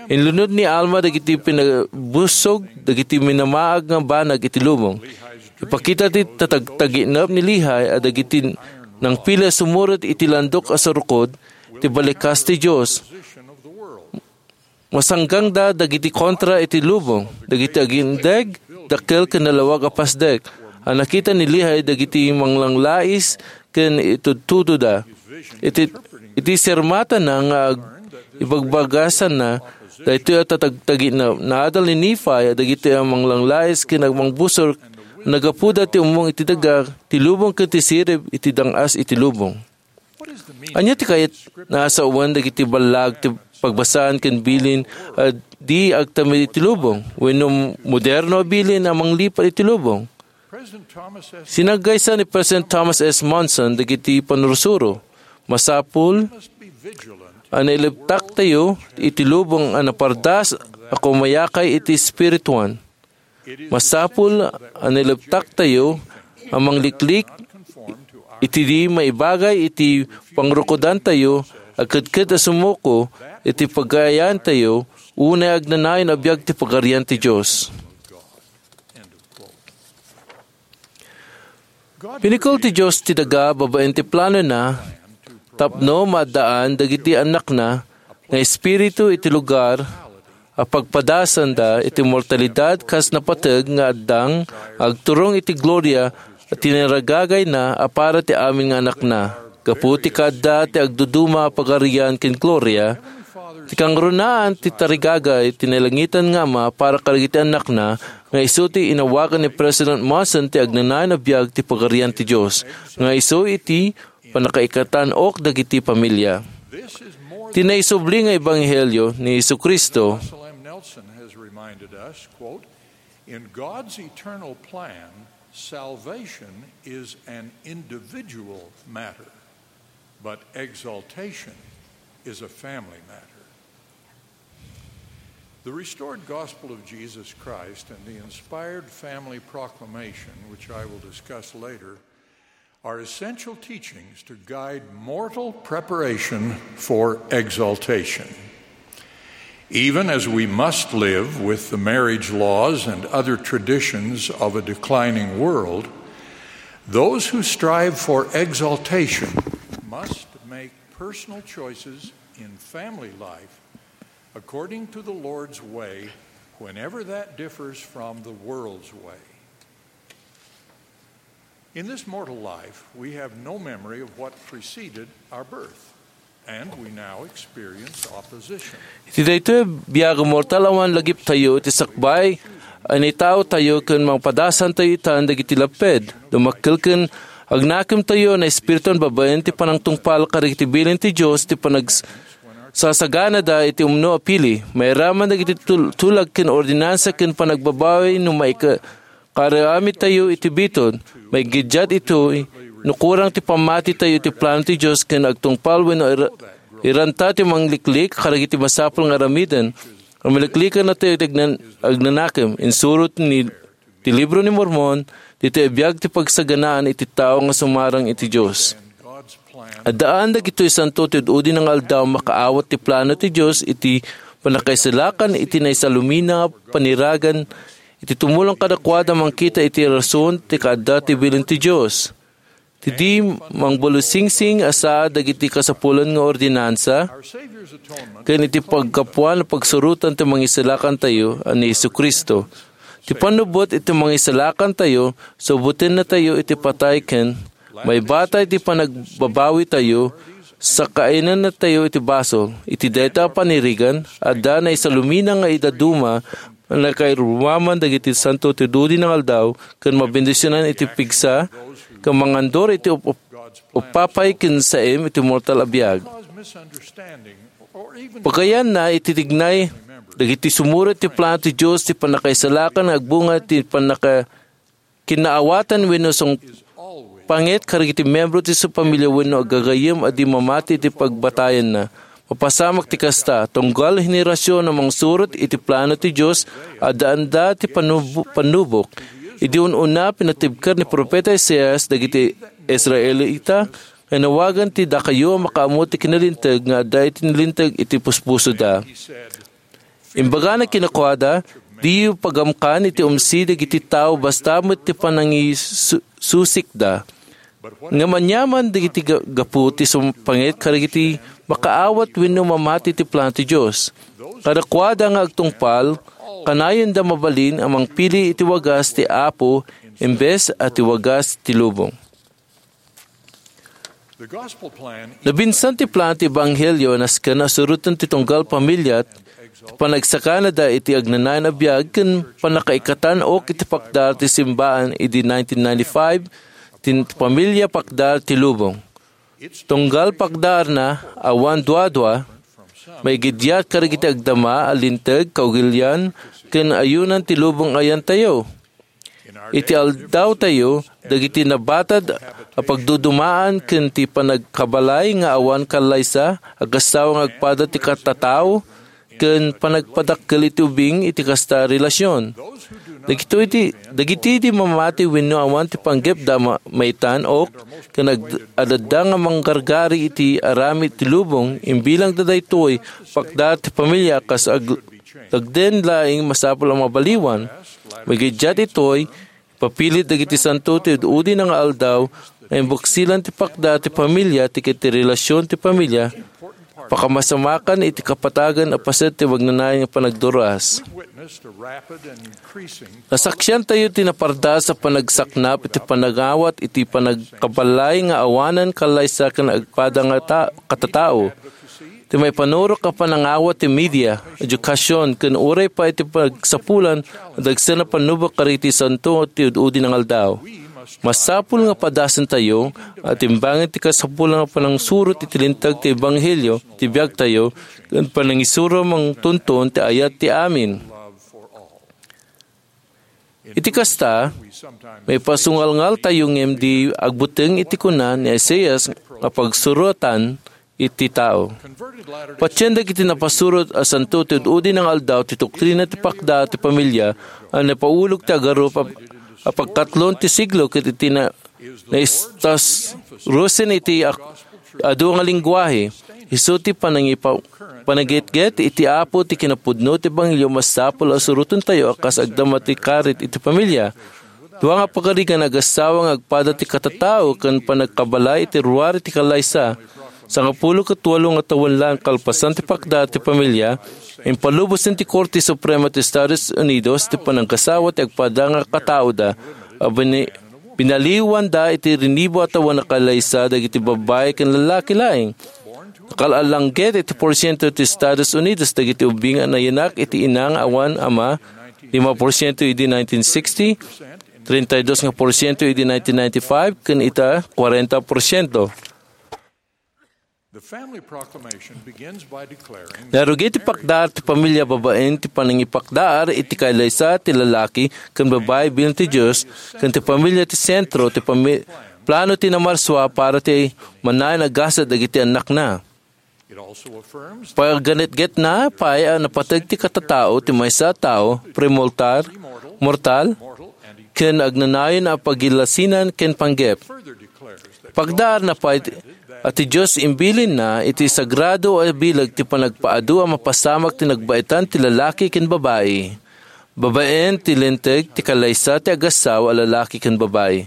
Inlunod ni Alma dagiti pinabusog dagiti minamaag nga banag iti lubong. Ipakita ti tatagtaginep ni Lehi a dagiti nangpili a sumuroto iti landok a surukod ti balikas ti Dios. Masanggangda dagiti kontra iti lubong, dagiti agindeg, dakkel ken nalawag a pasdek. A nakita ni Lehi dagiti manglanglais ken itudtudoda. Iti, iti sermatana nga ag-, ibagbagasanna, daytoy a tatagtaginep, naadal ni Nephi a dagiti a manglanglais ken agmangbusor, nagapuda ti ummong iti daga, ti lubong ken ti sirib iti dang-as iti lubong. Ania ti kayat nasawen dagiti ballag ti pagbasaan ken bilin a di agtamid iti lubong, wenno moderno a bilin a manglipat iti lubong? Sinaggaysa ni President Thomas S. Monson dagiti panursuro. Masapul a nailebtaktayo iti lubong a napardas a kumayakay iti espirituan. Masapul a nailebtaktayo a mangliklik iti di maibagay iti pangrukodantayo a kedked a sumuko iti pagayayaattayo unay agnanayon a biag ti Pagarian ti Dios. Pinikel ti Dios ti daga babaen ti planona tapno maaddaan dagiti annakna nga espiritu iti lugar a pagpadasanda iti mortalidad kas napateg nga addang agturong iti gloria a tinaragagayna a para ti amin nga annakna. Gapu ti kaadda ti agduduma a pagarian ken gloria, ti kangrunaan ti tarigagay ti nailangitan nga Ama para kadagiti annakna, nga isu ti inawagan ni President Monson ti agnanayon a biag ti Pagarian ti Dios, nga isu iti pannakaikatan-ok dagiti pamilia. Ti naisubli nga ebanghelio ni Jesu-Cristo. Russell M. Nelson has reminded us, quote, "In God's eternal plan, salvation is an individual matter, but exaltation is a family matter." The restored gospel of Jesus Christ and the inspired family proclamation, which I will discuss later, are essential teachings to guide mortal preparation for exaltation. Even as we must live with the marriage laws and other traditions of a declining world, those who strive for exaltation must make personal choices in family life according to the Lord's way, whenever that differs from the world's way. In this mortal life, we have no memory of what preceded our birth, and we now experience opposition. Iti daytoy a biag a mortal, awan lagiptayo iti sakbay a naitaotayo ken mapadasantayo itan dagiti lapped. Dumakkel ken agnakemtayo a naespirituan babaen ti panangtungpal kadagiti bilin ti Dios ti panagsasaganada iti umno a pili. Mairaman dagiti tul-, tulag ken ordinansa ken panagbabawi no maika-, kaaramidtayo iti bitud. Maigiddiat itoy no kurang ti pammatitayo iti plano ti Dios ken agtungpal wenno ira-, iranta ti mangliklik kadagiti masapul nga aramiden. Mangliklikennatayo iti agnan-, agnanakem. Insurot ni ti Libro ni Mormon, ditoy a biag ti pagsaganaan iti tao nga sumarang iti Dios. Addaan dagitoy santo ti ud-udi nga aldaw makaawat ti plano ti Dios iti pannakaisalakan iti naisalumina nga paniragan iti tumulong kadakuada mangkita iti rason ti kaadda ti bilin ti Dios. Ti di mangbulusingsing a saad dagiti kasapulan nga ordinansa, ken iti paggapuan a pagsurotan ti Mangisalakantayo a ni Jesu-Cristo. Ti pannubbot iti Mangisalakantayo, subutennatayo iti patay ken maibata iti panagbabawitayo, sakainennatayo iti basol. Iti dayta a panirigan, adda naisalumina nga idaduma, nakairumaman dagiti santo ti dudi nga aldaw, ken mabendisionan iti pigsa, ken mangandor iti up-, up-, upapay ken saem iti mortal a biag. Pagayanna iti tignay Dagiti sumurot ti plano ti Dios ti pannakaisalakan nga agbunga ti pannaka-, kinnaawatan wenno sungpanget kadagiti membro ti su-, pamilya wenno aggagayem a di mamati iti pagbatayanna. Mapasamak ti kasta, tunggal henerasion a mangsurot iti plano ti Dios, addaanda ti panubo-, pannubok. Idi un-una, pinatibker ni Profeta Isaias dagiti Israelita nga nawagan ti dakayo a makaammo ti kinalinteg nga adda iti nalinteg iti puspusoda. Imbagana kadakuada, "Diyo pagamkan iti umsi dagiti tao basta met ti panangisusikda. Ngem aniaman dagiti ga-, gapu ti sumpanget kadagiti makaawat wenno mamati ti plano ti Dios. Kadakuada nga agtungpal, kanayonda mabalin a mangpili iti wagas ti Apo imbes a ti wagas ti lubong." Nabinsan ti plano ti Ebanghelio a nasken a suroten ti tunggal pamilya, ti panagsakanada iti agnanayon a biag ken pannakaikatan ok iti pakdar ti simbaan idi nineteen ninety-five, ti pamilya pakdar ti lubong. Tunggal pakdarna, awan duadua, maigiddiat kadagiti agdama a linteg, kaugilian, ken ayunan ti lubong a yantayo. Iti aldawtayo, dagiti nabatad a pagdudumaan ken ti panagkabalay nga awan kallaysa, agassawa nga agpada ti katatao, ken panagpadakkel iti ubing iti kasta a relasion. Dagitoy ti, dagiti di mamati wenno awan ti panggepda ma-, maitan ok, ken ag-, adda nga manggargari iti aramid ti lubong, imbilangda daytoy pakdar ti pamilya kas ag-, agden laeng masapul a mabaliwan. Maigiddiat itoy, ipapilit dagiti santo ti ud-udi nga aldaw nga imbuksilan ti pakdar ti pamilya, ti ket ti relasion ti pamilya, pakamasamakan iti kapatagan a paset ti magnanayon nga panagduras. Nasaksiantayo ti napardaas a panagsaknap iti panangawat iti panagkabalay nga awanan kallaysa ken agpada nga ta-, katatao. Ti maipanurok a panangawat ti media, edukasyon, ken uray pay ti pagsapulan a dagsen a pannubok kadagiti santo ti ud-udi nga aldaw. Masapul nga padasentayo a timbangen ti kasapulan a panangsurot iti linteg ti ebanghelio ti biagtayo ken panangisuro mangtunton ti ayat ti amin. Iti kasta, maipasungalngaltayo ngem di agbuteng iti kuna ni Isaias nga pagsurotan iti tao. Patien dagiti napasurot a santo ti ud-udi nga aldaw ti doktrina ti pakdar ti pamilya a napaulog ti agarup a, a pagkatlon ti siglo ket iti na, naistas-, rusen iti ak-, adu nga lengguahe. Isu ti panangipa-, panagitgit iti Apo ti kinapudno ti ebanghelio masapul a surotentayo a kas agdama ti karit iti pamilya. Dua nga pagarigan agassawa nga agpada ti katatao ken panagkabalay iti ruar iti kallaysa. Sangapulo ket walo nga tawen laeng kalpasan ti pakdar ti pamilya, impalubosen ti Korte Suprema ti Estados Unidos ti pananggasawa ti agpada nga kataoda a bini-, binaliwanda iti rinibo a tawen a kallaysa dagiti babbai ken lallaki laeng. Nakal-alanggit iti porsiento ti Estados Unidos dagiti ubbing a nayanak iti ina nga awan ama, lima porsiento idi nineteen sixty, treinta y dos nga porsiento idi nineteen ninety-five, ken ita, kuarenta porsiento. The family proclamation begins by declaring Narugit ti pakdar ti pamilya babaen ti panangipakdar iti kallaysa ti lalaki ken babbai bilin ti Dios ken ti pamilya ti sentro ti pami-, plano ti Namarsua para ti manayon a gasat dagiti annakna. It also affirms Paganetgetna pay a napateg ti katatao ti maysa a tao, premortal, mortal, ken agnanayon a pagilasinan ken panggep. Pagdaarna pay a ti Dios imbilinna iti sagrado a bileg ti panagpaadu a mapasamak ti nagbaetan ti lalaki ken babai. Babaen ti linteg ti kallaysa ti agassawa a lalaki ken babai.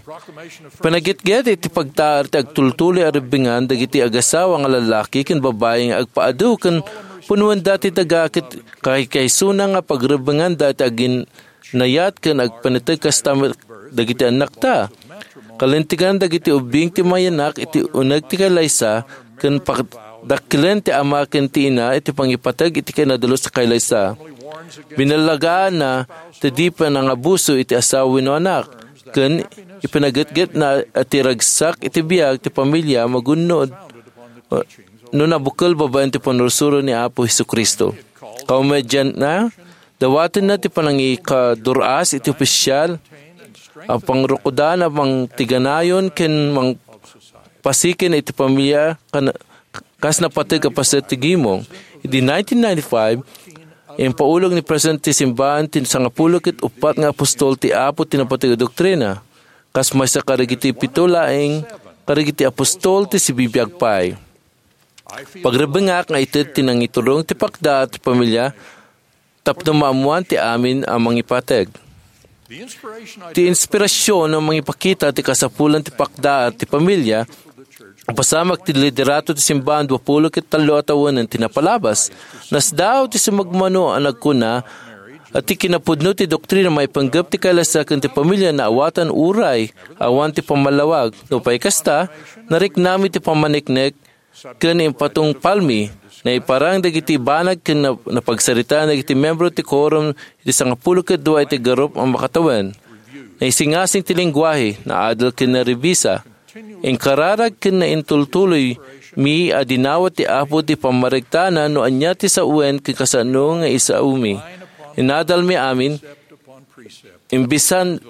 Panagitgit iti pagtaar ti agtultuloy a ribbengan dagiti agassawa nga lalaki ken babai nga agpaadu ken punuenda ti daga ket kaykaysona nga pagribbenganda ti agin-, nayat ken agpaneteg kasta met dagiti annakta. Kalintegan dagiti ubbing ti mayanak iti uneg ti kallaysa ken padakkelen ti ama ken ti ina iti pangipateg iti kinadalus a kallaysa. Binalagaanna ti di panangabuso iti asawa wenno anak, ken ipinagitgitna a ti ragsak iti biag ti pamilya magunnod no nabukel babaen ti pannursuro ni Apo Jesu-Cristo. Kaumedianna, dawatenna ti panangikadur-as iti opisyal a pangrukodan a mangtiganayon ken mangpasiken iti pamilya kan-, kas napateg a paset ti gimong. Idi nineteen ninety-five, impaulog ni President ti Simbahan ti sangapulo ket uppat nga apostol ti Apo ti napateg a doktrina, kas maysa kadagiti pito laeng kadagiti apostol ti sibibiag pay. Pagrebengak nga ited ti nangiturong ti pakda ti pamilya tapno maammoan ti amin a mangipateg. Ti inspirasyon a mangipakita ti kasapulan ti pakda ti pamilya, ipasamak ti liderato ti simbahan dua pulo ket tallo a tawen ti napalabas. Nasdaaw ti sumagmamano a nagkuna a ti kinapudno ti doktrina maipanggep ti kailasaken ti pamilya naawatan uray awan ti pammallawag. Nupay kasta, nariknami ti pammaniknek ken impatungpalmi. Naiparang dagiti banag ken na-, napagsaritaan dagiti membro ti quorum iti sangapulo ket dua iti garup a makatawen. Naisingasing ti lengguahe, naadal ken narebisa. Inkararag ken naintultuloymi a dinawat ti Apo ti pammaregtana no ania ti sawen ken kasano nga isaomi. Inadalmi amin, Imbinsan-,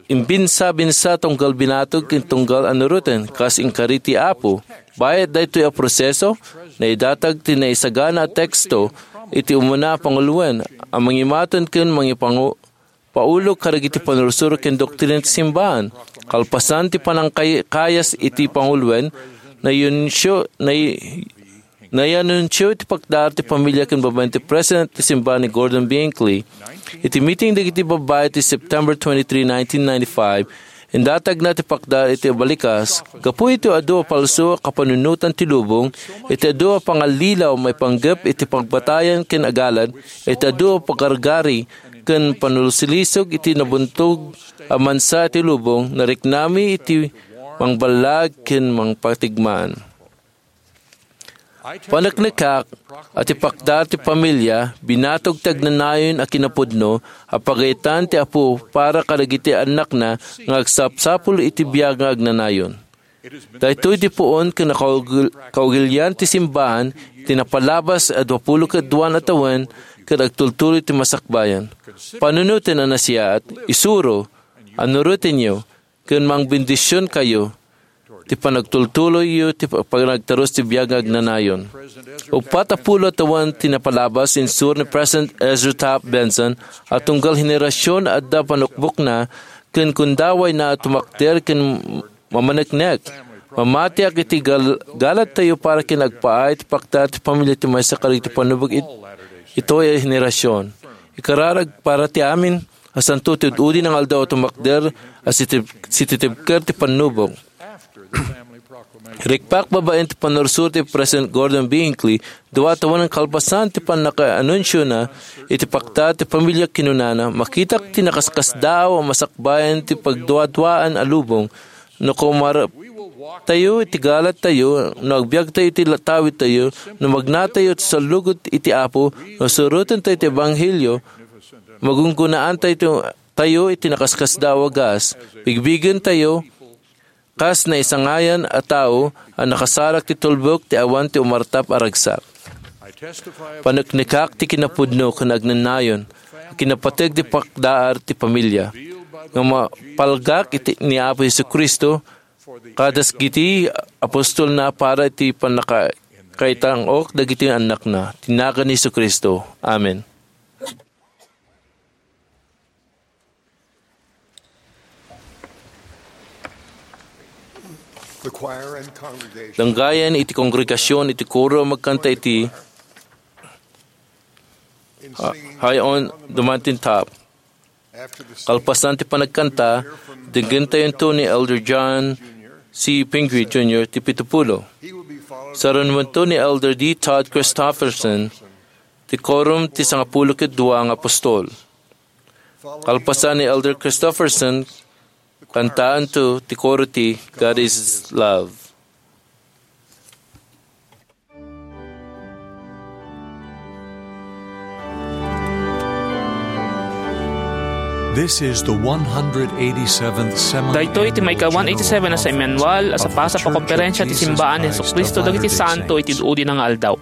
imbinsa-binsa tunggal binatog ken tunggal a nuroten, kas inkari ti Apo. Bayat daytoy a proseso, naidatag ti naisagana a teksto iti umuna a panguloen a mangimaton ken mangipangu-, paulog kadagiti pannursuro ken doktrina ti simbahan. Kalpasan ti panangkay-, kayas iti panguloen, nayunsio-, nay-, Nayanunsio iti pakdaar ti pamilya ken babaen ti President ti Simbahan ni Gordon B. Hinckley. Iti meeting dagiti babbai ti September twenty-three, nineteen ninety-five, indatagna ti pakdaar iti abalikas. Gapu iti adu a palso a kapanunotan ti lubong, iti adu a pangallilaw maipanggep iti pagbatayan ken agalad, iti adu a pagargari ken panulsilisog iti nabuntog a mansa iti lubong, nariknami iti mangballag ken mangpatigmaan. Paneknekak a ti pakdaar ti pamilya, binatog ti agnanayon a kinapudno a pagayetan ti Apo para kadagiti annakna nga agsapsapul iti biag nga agnanayon. Daytoy ti puon ken nakaugil-, kaugilian ti simbahan iti napalabas a dua pulo ket dua a tawen ket agtultuloy ti masakbayan. Panunoten a nasayaat, isuro, a nurotenyo, ken mangbendisionkayo ti panagtultuloyyo ti pa-, panagtarus ti biag nga agnanayon. Uppat a pulo a tawen ti napalabas, insuro ni President Ezra Taft Benson a tunggal henerasyon a adda panukbokna ken kundawayna a tumakder ken mamaneknek. Mamatiak iti gal-, galadtayo para ken agpaay ti pakdaar ti pamilya ti maysa kadagiti pannubag it-, itoy a henerasyon. Ikararag para ti amin a santo ti ud-udi nga aldaw a tumakder a sitib-, sititibker ti pannubag. Rikpak babaen ti pannursuro ti President Gordon B. Hinckley, dua a tawen kalpasan ti pannakaanunsiona iti pakdaar ti pamilya kinunana, makitak ti nakaskasdaaw a masakbayan ti pagduaduaan a lubong. No kumarap tayo iti galadtayo, no agbiagtayo iti la-, tawidtayo, no magnatayo ti sallugot iti Apo, no surotentayo ti ebanghelio, magunggunaan tayo, tayo iti nakaskasdaaw a gas. Bigbigentayo kas naisangayan a tao a nakasarak ti tulbek ti awan ti umartap a ragsak. Paneknekak ti kinapudno ken agnanayon a kinapateg ti pakdaar ti pamilya nga mapalgak iti ni Apo Jesu-Cristo kadas giti apostolna para iti pannaka-, kaitang-ok dagiti annakna. Ti nagan ni Jesu-Cristo. Amen. The choir and congregation Danggayan iti kongregasyon iti koro a magkanta iti in Ha-, singing High on the Mountain Top. After the singing, Kalpasan ti panagkanta, denggentayonto ni Elder John C. Pingree Junior ti pitupulo. He will be followed by Sarunuento ni Elder D. Todd Christofferson ti Quorum ti Sangapulo ket Dua nga Apostol. Kalpasan ni Elder Christofferson, kantaanto ti koro ti God is Love. This is the one hundred eighty-seventh Seminary Daytoy ti maika-one eighty-seven a Seminary Annual a sapasap a Konferensya ti Simbaan ni Jesu-Cristo dagiti Santo iti Udi nga Aldaw.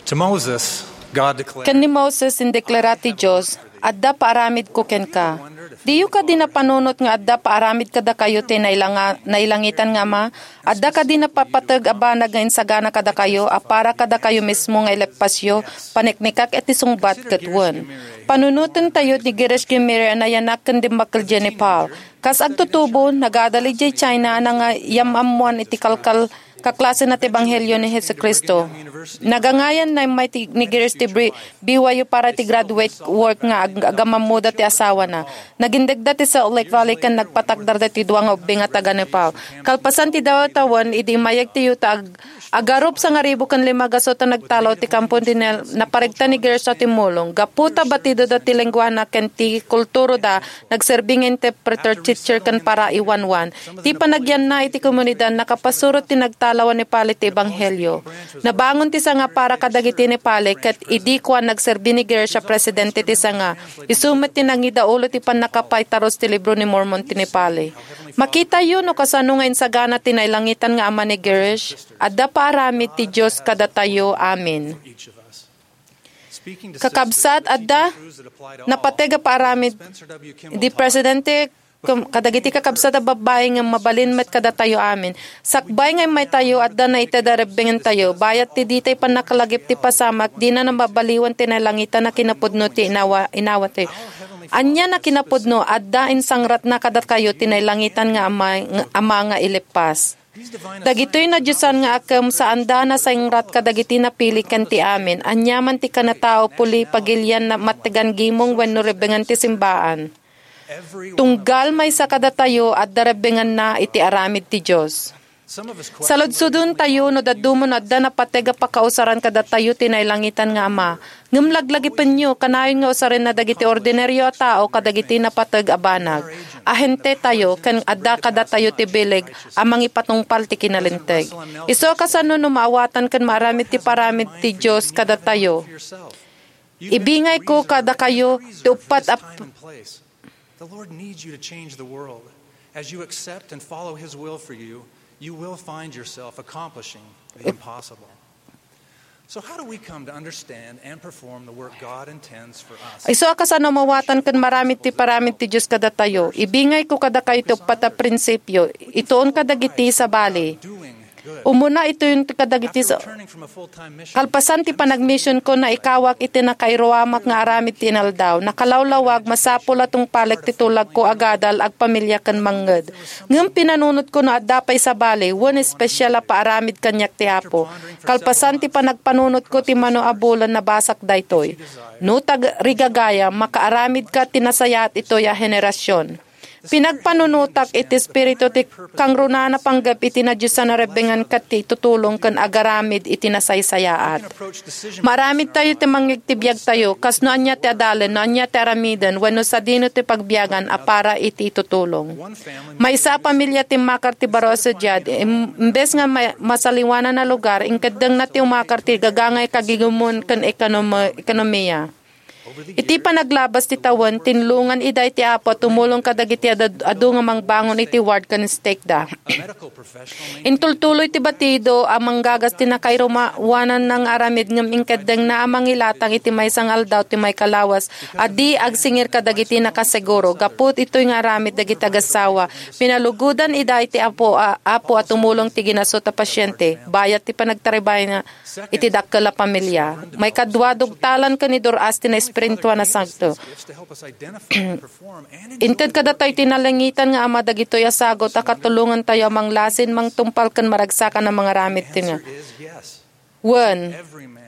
To Moses, God declared, Ken ni Moses, indeklara ti Dios, "Adda paaramidko kenka." Diyo kadi napanunot nga adda paaramid kadakayo ti nailanga-, nailangitan nga Ama? Adda kadi napapateg a banag nga insagana kadakayo a para kadakayo mismo nga ileppasyo, paniknikak iti sungbat ket wen? Panunotentayo ni Girish Gimiri a nayanak ken dimmakkel idiay Nepal. Kas agtutubo, nagadal idiay China a nangayam-ammoan iti kalkal-, kaklasena ti ebanghelio ni Jesu-Cristo. Nagangayan na immay ti, ni Girish ti Bri-, B Y U para ti graduate work nga ag-, agamammoda ti asawana. Nagindegda ti Salt Lake Valley ken nagpatakdarda ti dua nga ubing a taga-Nepal. Kalpasan ti dawa tawen, idi immayeg ti yuta, ag-, agarup sangaribu ken lima gasut a nagtalaw ti kampo ti Nel, naparegta ni Girish a timmulong. Gapu ta batidoda ti lengguana ken ti kulturoda, nagserbi nga interpreter, teacher, ken paraiwanwan. Ti panagyanna iti komunidad, nakapasurot ti nagtalaw a Nepali ti ebanghelio. Nabangon ti sanga para kadagiti Nepali, ket idi kuan, nagserbi ni Girish a presidente ti sanga. Isu met ti nangidaulo ti pannakapaitaros ti Libro ni Mormon ti Nepali. Makitayo no kasano nga insagana ti nailangitan nga Ama ni Girish. Adda paaramid ti Dios kadatayo. Amen. Kakabsat, adda napateg a paaramid di Presidente kum-, kadagiti kakabsat a babbai nga mabalin met kadatayo amin. Sakbay nga immaytayo, adda naited a rebbengentayo. Bayat ti ditay pannakalagip ti pasamak, dina nababaliwan ti nailangitan a kinapudno ti inawa-, inawatayo. Ania a kinapudno? Adda insangratna kadakayo ti nailangitan nga Ama, nga Ama nga ileppas. Dagitoy nadiosan nga akem, saanda a nasangrat kadagiti napili ken ti amin. Aniaman ti kanatao, puli, pagilian, na mattegan gimong wenno rebbengan ti simbaan. Tunggal maysa kadatayo, adda rebbenganna iti aramid ti Dios. Saludsodentayo no dadduma no adda napateg a pakausaran kadatayo ti nailangitan nga Ama. Ngem laglagipenyo, kanayon nga usarenna dagiti ordinario a tao kadagiti napateg a banag. Ahentetayo, ken adda kadatayo ti bileg a mangipatungpal ti kinalinteg. Isu a kasano no maawatan ken maaramid ti paramid ti Dios kadatayo. Ibingayko kadakayo ti uppat a The Lord needs you to change the world. As you accept and follow His will for you, you will find yourself accomplishing the impossible. So, how do we come to understand and perform the work God intends for us? Isu a kasano maawatan ken maaramid ti paramid ti Dios kadatayo. Ibingayko kadakayo ti uppat a prinsipio. Ituon kadagiti sabali. Umuna itoy kadagiti sa-, kalpasan ti panagmisionko, naikawak iti nakairuamak nga aramid ti inaldaw. Nakalawlawag, masapul a tungpalek ti tulagko, agadal, agpamilia ken mangnged. Ngem pinanunotko no adda pay sabali, wen espesial a paaramid kaniak ti Apo. Kalpasan ti panagpanunotko ti mano a bulan, nabasak daytoy. No tagrigagayam, makaaramidka ti nasayaat itoy a henerasion. Pinagpanunotak iti Espiritu ti kangrunaan a panggep iti nadiosan a rebbengan ket ti itutulong ken agaramid iti nasaysayaat. Maaramidtayo ti mangngeg ti biagtayo, kas no ania ti adalen, no ania ti aramiden, wenno sadino ti pagbiagan a para iti itutulong. Maysa a pamilia ti immakar ti baro a sadiad, im-, imbes nga ma-, masaliwanan a lugar, inkeddengna ti umakar ti gagangay kagigumon ken ekonomi-, ekonomiya. Iti panaglabas ti tawen, tinlongan ida iti Apo a tumulong kadagiti ad-, adu nga mangbangon iti ward ken stake da. Intultuloy ti batido a manggagas ti nakairuamanna nga aramid ngem inkeddengna a mangilatang iti maysa nga aldaw ti maikalawas a di agsingir kadagiti nakaseguro. Gapu itoy nga aramid dagiti agassawa, pinalugodan ida iti Apo a, Apo a tumulong ti ginasut a pasiente, bayat ti panagtarabayna iti dakkel a pamilia. Maikadua, dugtalan ken idur-as ti naespirituan a sagut. Inted kadatayo ti nalangitan nga Ama dagitoy a sagut a katulongantayo a manglasin, mangtungpal ken maragsakan a mangaramid ti nga. Wen,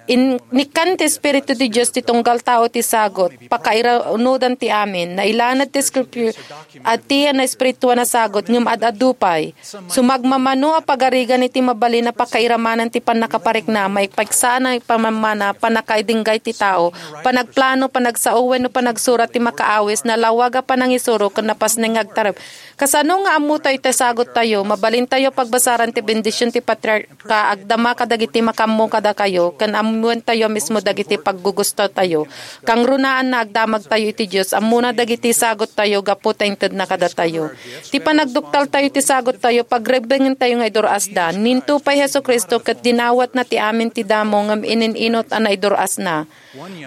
in-, inikkan ti Espiritu ti Dios ti tunggal tao ti sagut, pakairanudan ti amin, nailanad ti Scripture, ati a naespirituan a sagut, ngem ad-adu pay. Sumagmamano a pagarigan iti mabalin a pakairamanan ti pannakaparikna, maipigsa a naipamammana, pannakaidinggay ti tao, panagplano, panagsao wenno panagsurat ti makaawis, nalawag a panangisuro ken napasneng nga agtarem. Kasano nga ammotayo ti saguttayo? Mabalintayo a pagbasaran ti bendision ti patriarka, agdama kadagiti makaammo kadakayo, ken am-, Wen tayo mismo dagiti paggugustotayo. Kangrunaanna, agdamagtayo iti Dios, ammona dagiti sagottayo gapu ta intedna kadatayo. Ti panagduktaltayo iti sagottayo, pagrebbengentayo nga idur-asda. Ninto pay Jesu-Cristo ket dinawatna ti amin ti damo ngem inin-inot a naidur-asna.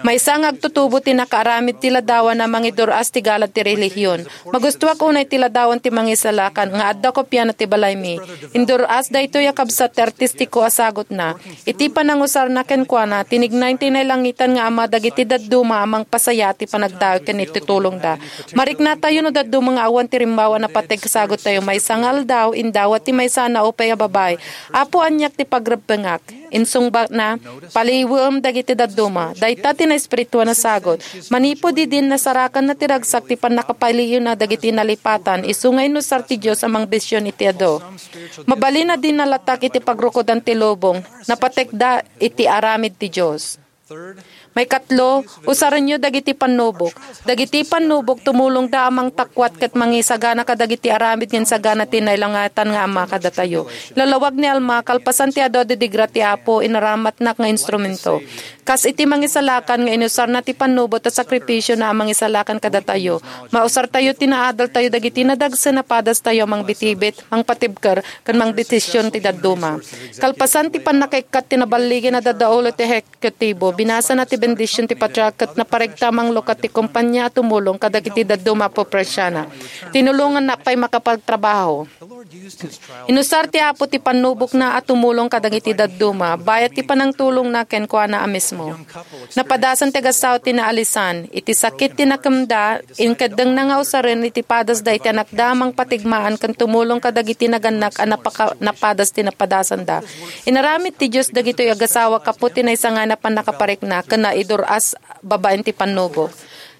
Maysa nga agtutubo ti nakaaramid ti ladawan a mangidur-as ti galad ti relihion. Magustuak unay ti ladawan ti mangisalakan nga adda kopiana ti balaymi. Indur-as daytoy a kabsat ti artistiko a sagutna. Iti panangusarna kenkuana, tinignay ti nailangitan nga Ama dagiti dadduma a mangpasaya ti panagdawi ken iti tulongda. Mariknatayo no dadduma nga awan ti rimmawa a napateg sagottayo. Maysa nga aldaw, indawat ti maysa a naupay a babai. "Apo, aniak ti pagrebbengak." Insungbatna, "Paliiwem dagiti dadduma." Dayta ti naespirituan a sagut. Manipud idin, nasarakanna ti ragsak ti pannakapaliiwna dagiti nalipatan, isu nga inusar ti Dios a mangbision iti adu. Mabalin a di nalatak iti pagrukodan ti lubong, napatekda iti aramid ti Dios. Maikatlo, usarenyo dagiti pannubok. Dagiti pannubok tumulongda a mangtakuat ket mangisagana kadagiti aramid nga insagana ti nailangitan nga Ama kadatayo. Ilalawag ni Alma, kalpasan ti adu a didigra ti Apo, inaramatnak nga instrumento. Kas iti mangisalakan nga inusarna ti pannubot a sakripisiona a mangisalakan kadatayo, mausartayo ti naadaltayo dagiti nadagsen a padastayo a mangbitbit, mangpatibker, ken mangdesision ti dadduma. Kalpasan ti pannakaikkat ti naballigi a dadaulo ti ehekutibo, binasana ti bendision ti patriark ket naparegta a manglukat ti kompania a tumulong kadagiti dadduma a pobresiana. Tinulonganna pay makapagtrabaho. Inusar ti Apo ti pannubokna a tumulong kadagiti dadduma, bayat ti panangtulongna kenkuana a mismo. Napadasan ti agassawa ti naalisan. Iti sakit ti nakemda, inkeddengna nga usaren iti padasda iti anakda a mangpatigmaan ken tumulong kadagiti nagannak a napaka-, napadas ti napadasanda. Inaramid ti Dios dagitoy agassawa gapu ti naisangana a pannakaparikna ken naidur-as babaen ti pannubok.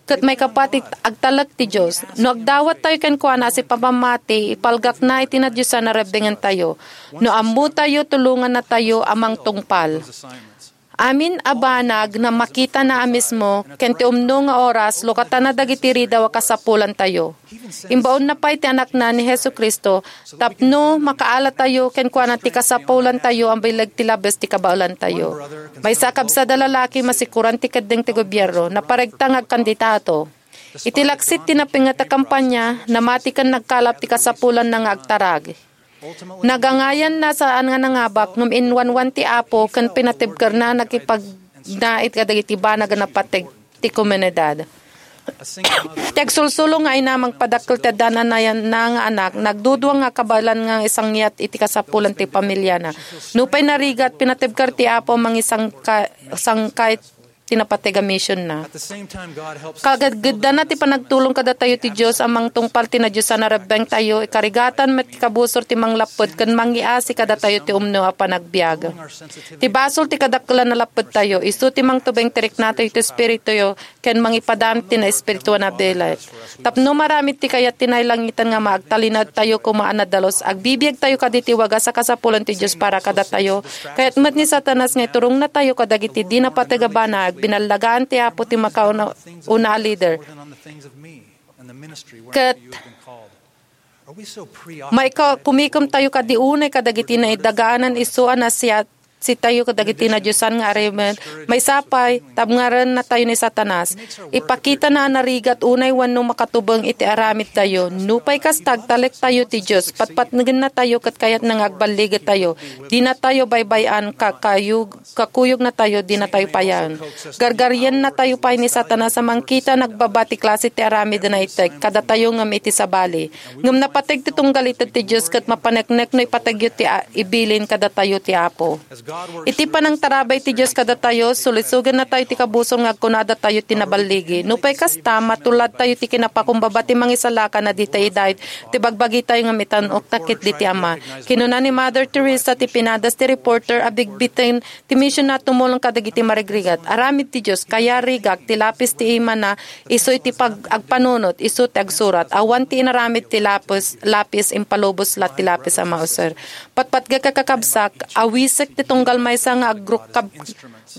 Ket maikapati, agtalek ti Dios. No agdawattayo kenkuana a sipapammati, ipalgakna iti nadiosan a rebbengentayo. No ammotayo, tulongannatayo a mangtungpal. Amin a banag na makitana a mismo, ken ti umno nga oras, lukatana dagiti ridaw a kasapulantayo. Imbaonna pay ti Anakna ni Jesu-Cristo, tapno makaalatayo kenkuana ti kasapulantayo a bileg ti labes ti kabaelantayo. Maysa a kabsat a lalaki, masikuran ti keddeng ti gobierno, naparegta nga agkandidato. Iti laksit ti napinget a kampanya, namati ken nagkalap ti kasapulanna nga agtarag. Nagangayanna saan nga nangabak, ngem inwanwan ti Apo ken pinatibkerna a nakipagnaed kadagiti banag a napateg ti komunidad. Ti agsulsulo nga ina mangpadakkel ti addaan a nayanna nga anak, nagdudua nga kabaelan nga isangiat iti kasapulan ti pamiliana. Nupay narigat, pinatibker ti Apo a mangisangka-, sangkay ti napateg a misionna. Kagedgeddana ti panagtulong kadatayo ti Dios a mangtungpal ti nadiosan a rebbengtayo, ikarigatan met ti kabusor ti manglapped ken mangiasi kadatayo ti umno a panagbiag. Ti basol ti kadakkelan a lappedtayo, isu ti mangtubeng ti riknatayo ti espirituyo ken mangipadam ti naespirituan a bilet. Tapno maramid ti kayat ti nailangitan nga maagtalinaedtayo koma a nadalus, agbibiagtayo kaditi wagas a kasapulan ti Dios para kadatayo. Kayat met ni Satanas nga iturongnatayo kadagiti di napateg a banag, binallagaan ti Apo ti makauna-una a leader. Ket maika-, kumikemtayo kadi unay kadagiti naidagaanan isu a nasiat sitayo kadagiti nadiosan nga aramid, maysa pay, tabngarennatayo ni Satanas. Ipakitana a narigat unay wenno makatubeng iti aramidtayo. Nupay kasta, agtalektayo ti Dios, patpatnegennatayo ket kayatna nga agballigetayo. Dinatayo baybay-an, kakayug-, kakuyognatayo, dinatayo payaen. Gargariennatayo pay ni Satanas a mangkita nagbaba ti klase ti aramid a naited kadatayo ngem iti sabali. Ngem napateg ti tunggal ited ti Dios ket mapaneknek no ipategyo ti a-, ibilin kadatayo ti Apo. Iti panangtarabay ti Dios kadatayo, sulisogennatayo ti kabusor nga agkunadatayo ti naballigi. Nupay kasta, matuladtayo ti kinapakumbaba ti mangisalakan a ditay idayeg ti bagbagitayo ngem itan-okta ketdi ti Ama. Kinuna ni Mother Teresa ti pinadas ti reporter a bigbiten ti misionna a tumulong kadagiti marigrigat. Aramid ti Dios, kayarigak ti lapis ti imana, isu iti pag-, agpanunot, isu ti agsurat. Awan ti inaramid ti lapis, lapis, impalubos la ti lapis a mauser. Patpatgek a kakabsak, awisek ti tunggal maysa nga agrukab-,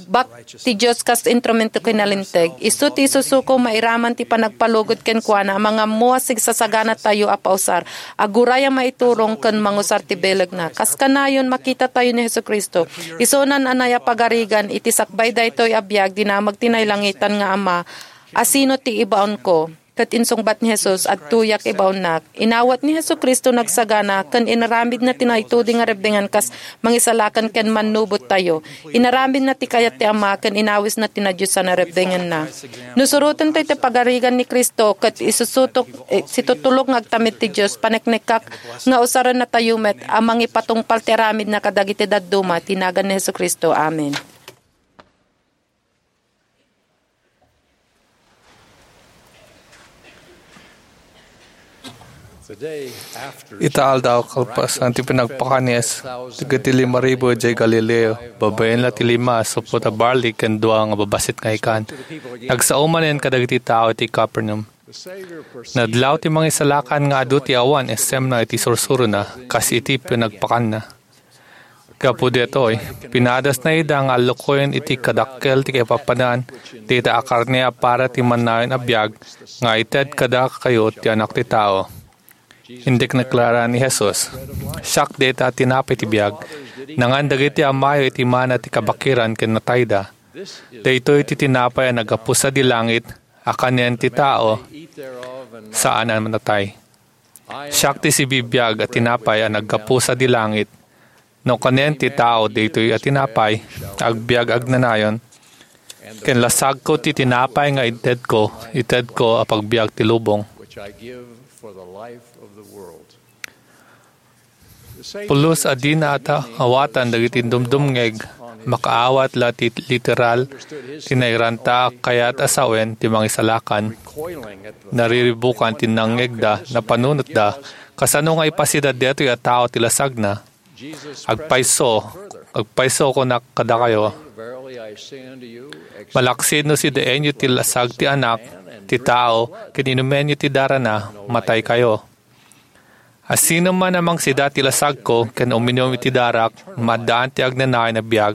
bak ti Dios kas instrumento ken nalinteg. Isu ti isusuko mairaman ti panagpalugod kenkuana a mangammo a sigsasaganatayo a pausar, aguray a maiturong ken mangusar ti bilegna. Kas kanayon, makitatayo ni Jesu-Cristo. Isunan a nayapagarigan iti sakbay daytoy a biag, dinamag ti nailangitan nga Ama, "Asino ti ibaonko?" Ket insungbat ni Jesus, "Adtoyak ibaonnak." Inawat ni Jesu-Cristo nagsagana ken inaramidna ti naitudi nga rebbengan kas mangisalakan ken mannubottayo. Inaramidna ti kayat ti Ama ken inawisna ti nadiosan a rebbenganna. No suroten toy ti pagarigan ni Cristo ket isusutok, eh, situtulok nga agtamid ti Dios, paneknekak nga usarennatayo met a mangipatungpal ti aramidna kadagiti dadduma ti nagan ni Jesu-Cristo. Amen. Ita aldaw, kalpasan ti pinagpakan ni Jesus dagiti lima ribu idiay Galileo, babaen la ti lima a supot a barli ken dua nga babassit nga ikan, nagsao manen kadagiti tao iti Capernaum. Nadlaw ti mangisalakan nga adu ti awan isemna iti sursurona, kas iti pinagpakanna. Gapu daytoy, pinadasna ida nga allukoyen iti kadakkel ti kaipapanan dayta a karne a para ti mannayon a biag nga ited kadakayo ti Anak ti Tao. Indik naklara ni Jesus, "Siak dayta a tinapay ti biag. Nangan dagiti amayo iti mana ti kabakiran ken natayda. Daytoy ti tinapay a naggapu sadi langit a kanen ti tao saan a natay." Siak ti sibibiag a tinapay a naggapu sadi langit. No kanen ti tao daytoy a tinapay, agbiag agnanayon, ken lasagko ti tinapay nga itedko, itedko a pagbiag ti lubong. Pulos a dina ata awatan dagiti dumdumngeg, makaawat la ti literal ti nairanta a kayat a sawen ti mangisalakan. Nariribukan ti nangngegda, napanunotda, kasano nga ipasida daytoy a tao ti lasagna? Agpayso, agpayso kunak kadakayo, malaksid no sidaenyo ti lasag ti Anak ti Tao ken inumenyo ti darana, mataykayo. Asinoman a mangsida ti lasagko ken uminum iti darak, maaddaan ti agnanayon a biag,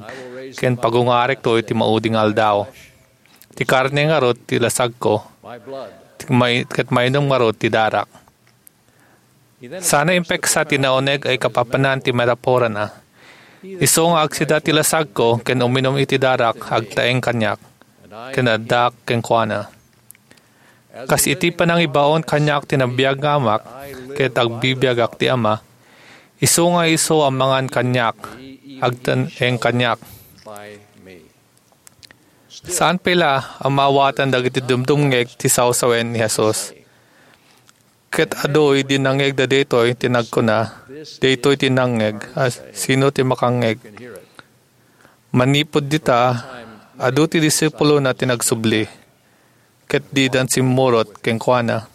ken pagungarekto iti maudi nga aldaw. Ti karne ngarud ti lasagko, ti may-, ket mainum ngarud ti darak. Sana impeksa ti nauneg a ikapapanan ti metaporana. Isu nga agsida ti lasagko ken uminum iti darak, agtaeng kaniak, ken addaak kenkuana. Kas iti panangibaon kaniak ti nabiag nga Amak, ket agbibiagak ti Ama, isu nga isu a mangan kaniak, agtaeng kaniak. Saan pay la a maawatan dagiti dumdumngeg ti sawsawen ni Jesus. Ket adu idi nangngegda daytoy ti nagkuna, "Daytoy ti nangngeg, a sino ti makangngeg?" Manipud dita, adu ti disipulona ti nagsubli, ket didan simmurot kenkuana.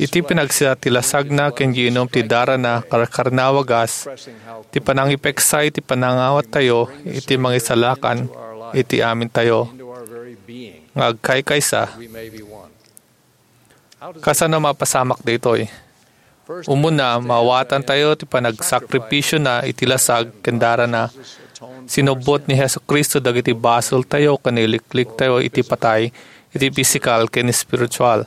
Iti pinagsida ti lasagna ken giinum ti darana, karkarnawa gas ti panangipeksa iti panangawattayo iti mangisalakan iti amintayo nga agkaykaysa. Kasano mapasamak daytoy? Umuna, maawatantayo ti panagsakripisyona iti lasag ken darana. Sinubbot ni Jesu-Cristo dagiti basoltayo ken ilikliktayo iti patay, iti pisikal ken espiritual.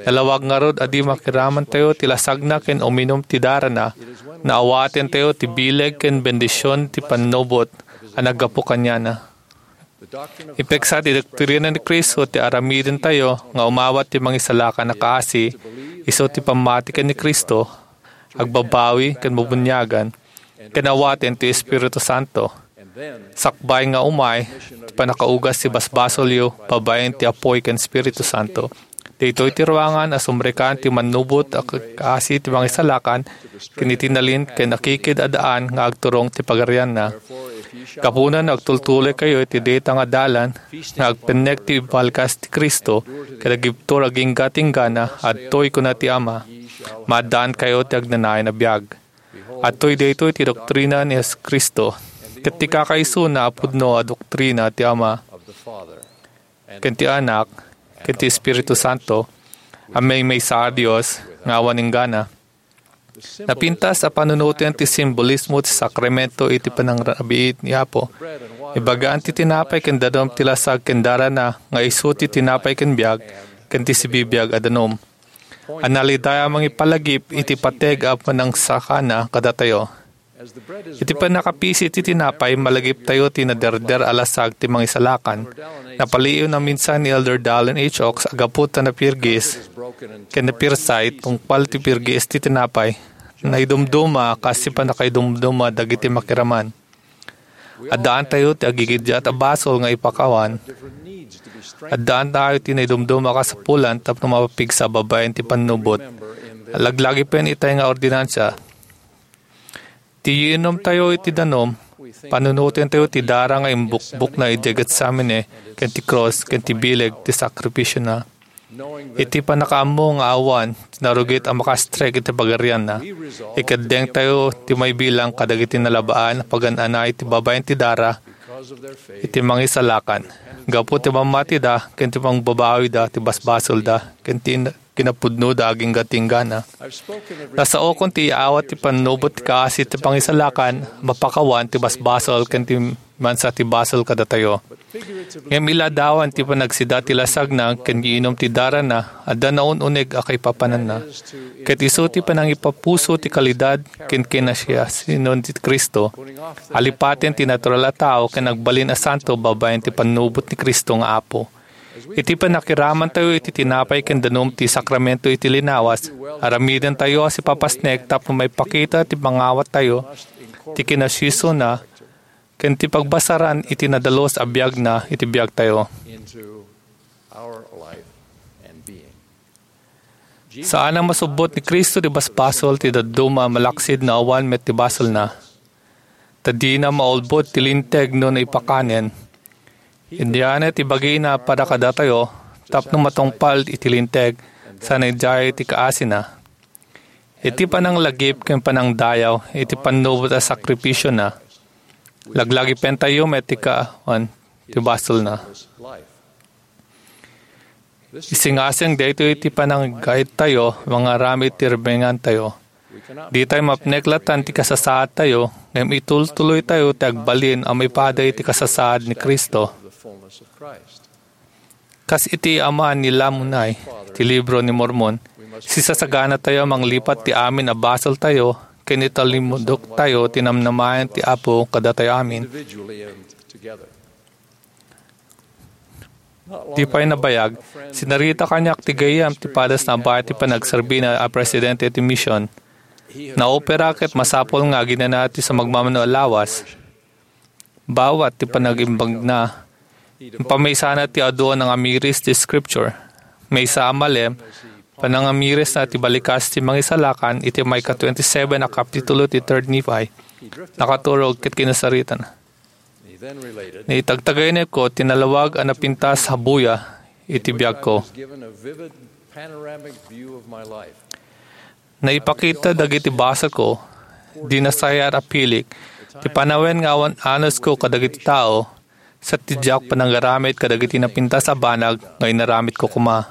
Nalawag ngarud a di makiramantayo ti lasagna ken uminum ti darana, naawatentayo ti bileg ken bendision ti pannubot a naggapu kaniana. Ipeksa ti doktrina ni Cristo ti aramidentayo nga umawat ti mangisalakan a kaasi, isu ti pammati ken ni Cristo, agbabawi ken bubuniagan, ken awaten ti Espiritu Santo. Sakbay nga umay ti pannakaugas ti basbasolyo babaen ti Apoy ken Espiritu Santo. Daytoy ti ruangan a sumrekkan ti mannubot a kaasi ti mangisalakan ken iti nalin ken akikid a daan nga agturong ti pagarianna. Gapuna no agtultuloykayo iti dayta nga dalan nga agpennek ti ibalgas ti Cristo ket agibtur agingga ti inggana, adtoy kuna ti Ama, maaddaankayo ti agnanayon a biag. Adtoy daytoy ti doktrina ni Jesu-Cristo, ket ti kakaisuna a pudno a doktrina ti Ama ken ti Anak ken ti Espiritu Santo a maymaysa a Dios nga awan inggana. Napintas a panunoten ti simbolismo ti sakramento iti panangrabiit ni Apo. Ibagaan ti tinapay ken danum ti lasag ken darana nga isu ti tinapay ken biag ken ti sibibiag a danum. Analidaya a mangipalagip iti pateg a panangsakana kadatayo. Iti pannakapisi ti tinapay, malagiptayo ti naderder a lasag ti mangisalakan. Napaliiw naminsan ni Elder Dallin H. Oaks a gapu ta napirgis ken napirsay tungpal ti pirgis ti tinapay. Naidumduma kas ti pannakaidumduma dagiti makiraman. Addaantayo ti agigiddiat a basol nga ipakawan. Addaantayo ti naidumduma a kasapulan tapno mapigsa babaen ti pannubot. Laglagipen itay nga ordinansa. Ti iinumtayo iti danum, panunotentayo ti dara nga imbukbokna idiay Getsemane ken ti krus ken ti bileg ti sakrifisiona. Iti pannakaammo nga awan ti narugit a makastrek iti pagarianna, ikeddengtayo ti maibilang kadagiti nalabaan a pagan-anay ti babaen ti dara iti mangisalakan. Gapu ti pammatida ken ti pangbabawida ti basbasolda ken ti kinapudnoda agingga ti inggana. Nasaokon ti iyaawat ti pannubot ti kaasi ti pangisalakan, mapakawan ti basbasol ken ti mansa ti basol kadatayo. Ngem iladawan ti panagsida ti lasagna ken iinum ti darana, adda naun-uneg a kaipapananna. Ket isu ti panangipapuso ti kalidad ken kinasiasinon ti Cristo. Alipaten ti natural a tao ken agbalin a santo babaen ti pannubot ni Cristo nga Apo. Iti pannakiramantayo iti tinapay ken danum ti sakramento iti linawas, aramidentayo a sipapasnek tapno maipakita ti pangawattayo, ti kinasiasina, ken ti pagbasaran iti nadalus a biagna iti biagtayo. Saan a masubbot ni Cristo ti basbasol ti dadduma malaksid no awan met ti basolna. Ta dina maulbod ti linteg no naipakanen. Indiana ti bagina para kadatayo tapno matungpal iti linteg sana idiay ti kaasina. Iti pananglagip ken panangdayaw iti pannubot a sakrifisiona, laglagipentayo met ti kaawan ti basolna. Isingasing daytoy iti pananggayyemtayo nga aramid ti rebbengtayo. Ditay mapnek latan ti kasasaadtayo, ngem itultuloytayo ti agbalin a maipaday ti kasasaad ni Cristo. Kas iti aman ni Lamonai ti Libro ni Mormon, sisasaganatayo a manglipat ti amin a basoltayo ken italimudoktayo ti namnamaen ti Apo kadatayo amin. Di pay nabayag, sinarita kaniak ti gayyem ti padasna baet ti panagserbina a presidente ti mision. Naopera ket masapul nga aginana ti sumagmamano a lawas. Bawat ti panagimbagna, impamaysana ti adu a nangamiris ti Scripture. Maysa a malem, panangamirisna ti balikas ti Mangisalakan iti maika twenty-seven a kapitulo ti Third Nephi. Nakaturog ket kinasaritana. Naitagtagainepko ti nalawag a napintas a buya iti biagko. Naipakita dagiti basolko, di nasayar a pilik, ti panawen nga awan anusko kadagiti tao, sa ti diak panangaramid kadagiti napintas a banag nga inaramidko koma.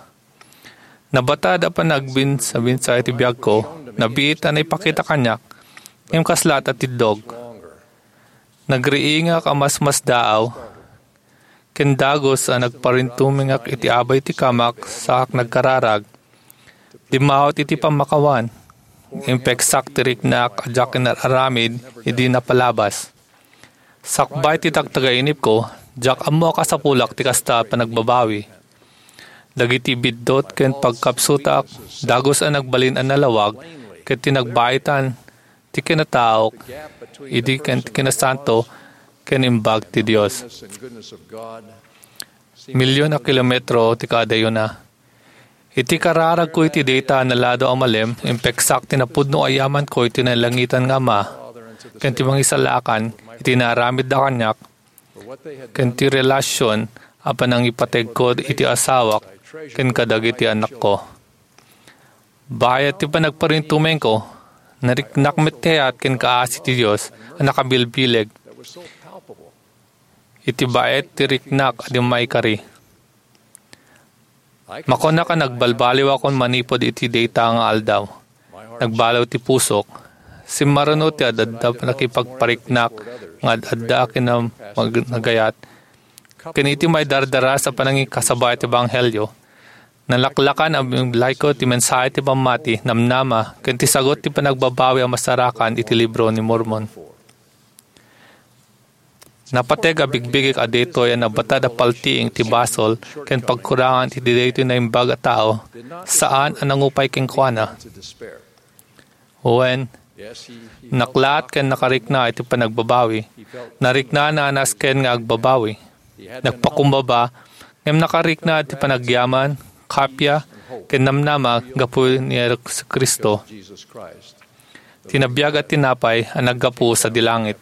Nabatad a panagbinsa-binsa iti biagko, nabiit a naipakita kaniak, ngem kasla a tiddog. Nagriingak a masmasdaaw, ken dagus a nagparintumengak iti abay ti kamak saak nagkararag. Dimmaut iti pammakawan. Impeksak ti riknak a diak inar-aramid idi napalabas. Sakbay ti tagtagainepko, diak ammo a kasapulak ti kasta a panagbabawi. Dagiti biddut ken pagkapsutak, dagus a nagbalin a nalawag, ket ti nagbaitan ti kinataok, idi ken ti kinasanto, ken imbag ti Dios. Milyon a kilometro ti kaadayona. Iti kararagko iti dayta a naladaw a malem, impeksak ti napudno a yamanko iti nailangitan nga Ama, ken ti Mangisalakan iti naaramidda kaniak, ken ti relasion a panangipategko iti asawak ken kadagiti anakko. Bayat ti panagparintumengko, nariknak met kayat ken kaasi ti Dios a nakabilbileg. Iti baet ti riknak a di maikari. Makunak a nagbalbaliwakon manipud iti dayta nga aldaw. Nagbaliw ti pusok. Simmaruno ti ad-adda nakipagpariknak nga ad-adda a kinam-, mag-, nagayat. Ken iti maidardaras a panangikasaba iti ebanghelio, nalaklakan a bimlayko ti mensahe ti pammati, namnama, ken ti sagut ti panagbabawi a masarakan iti libro ni Mormon. Napateg a bigbigik a daytoy a nabatad a paltiing ti basol ken pagkurangan iti daytoy naimbag a tao, saan a nangupay kenkuana. Wen, naklaat ken nakarikna iti panagbabawi. Nariknana a nasken nga agbabawi. Nagpakumbaba, ngem nakarikna iti panagyaman, kappia, ken namnama gapu ni Jesu-Cristo, ti nabiag a tinapay a naggapu sadi langit.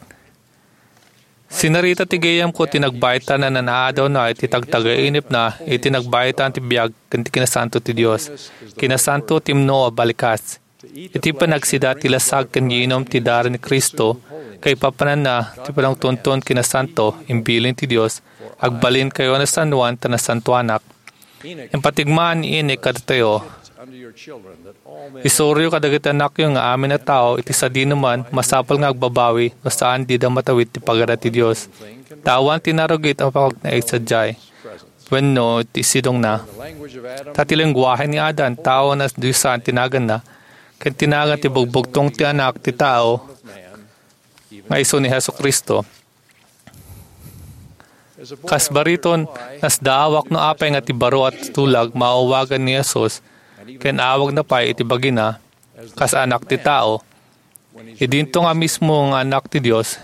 Sinarita ti gayyemko ti nagbaytan a nanaadawna iti tagtagainipna iti nagbaytan ti biag ken ti kinasanto ti Dios. Kinasanto ti imno a balikas. Iti panagsida ti lasag ken giinum ti dara ni Cristo, kaipapananna ti panangtunton kinasanto, imbilin ti Dios, agbalinkayo a nasannuan ta nasantuanak. Impatigmaan ni Enoc kadatayo. Isuro kadagiti anakyo nga amin a tao iti sadinoman masapul nga agbabawi no saan dida matawid ti pagara ti Dios. Tawan ti narugit a pagnaig sadiay wenno ti sidongna. Ta ti lengguahe ni Adan, tao a nadiosan ti naganna, ken ti nagan ti bugbugtong ti Anak ti Tao nga isu ni Jesu-Cristo. Kas bariton, nasdaawak no apay nga ti baro a tulag maawagan ni Jesus ken awagna pay iti bagina kas Anak ti Tao. Idinto nga mismo nga Anak ti Dios,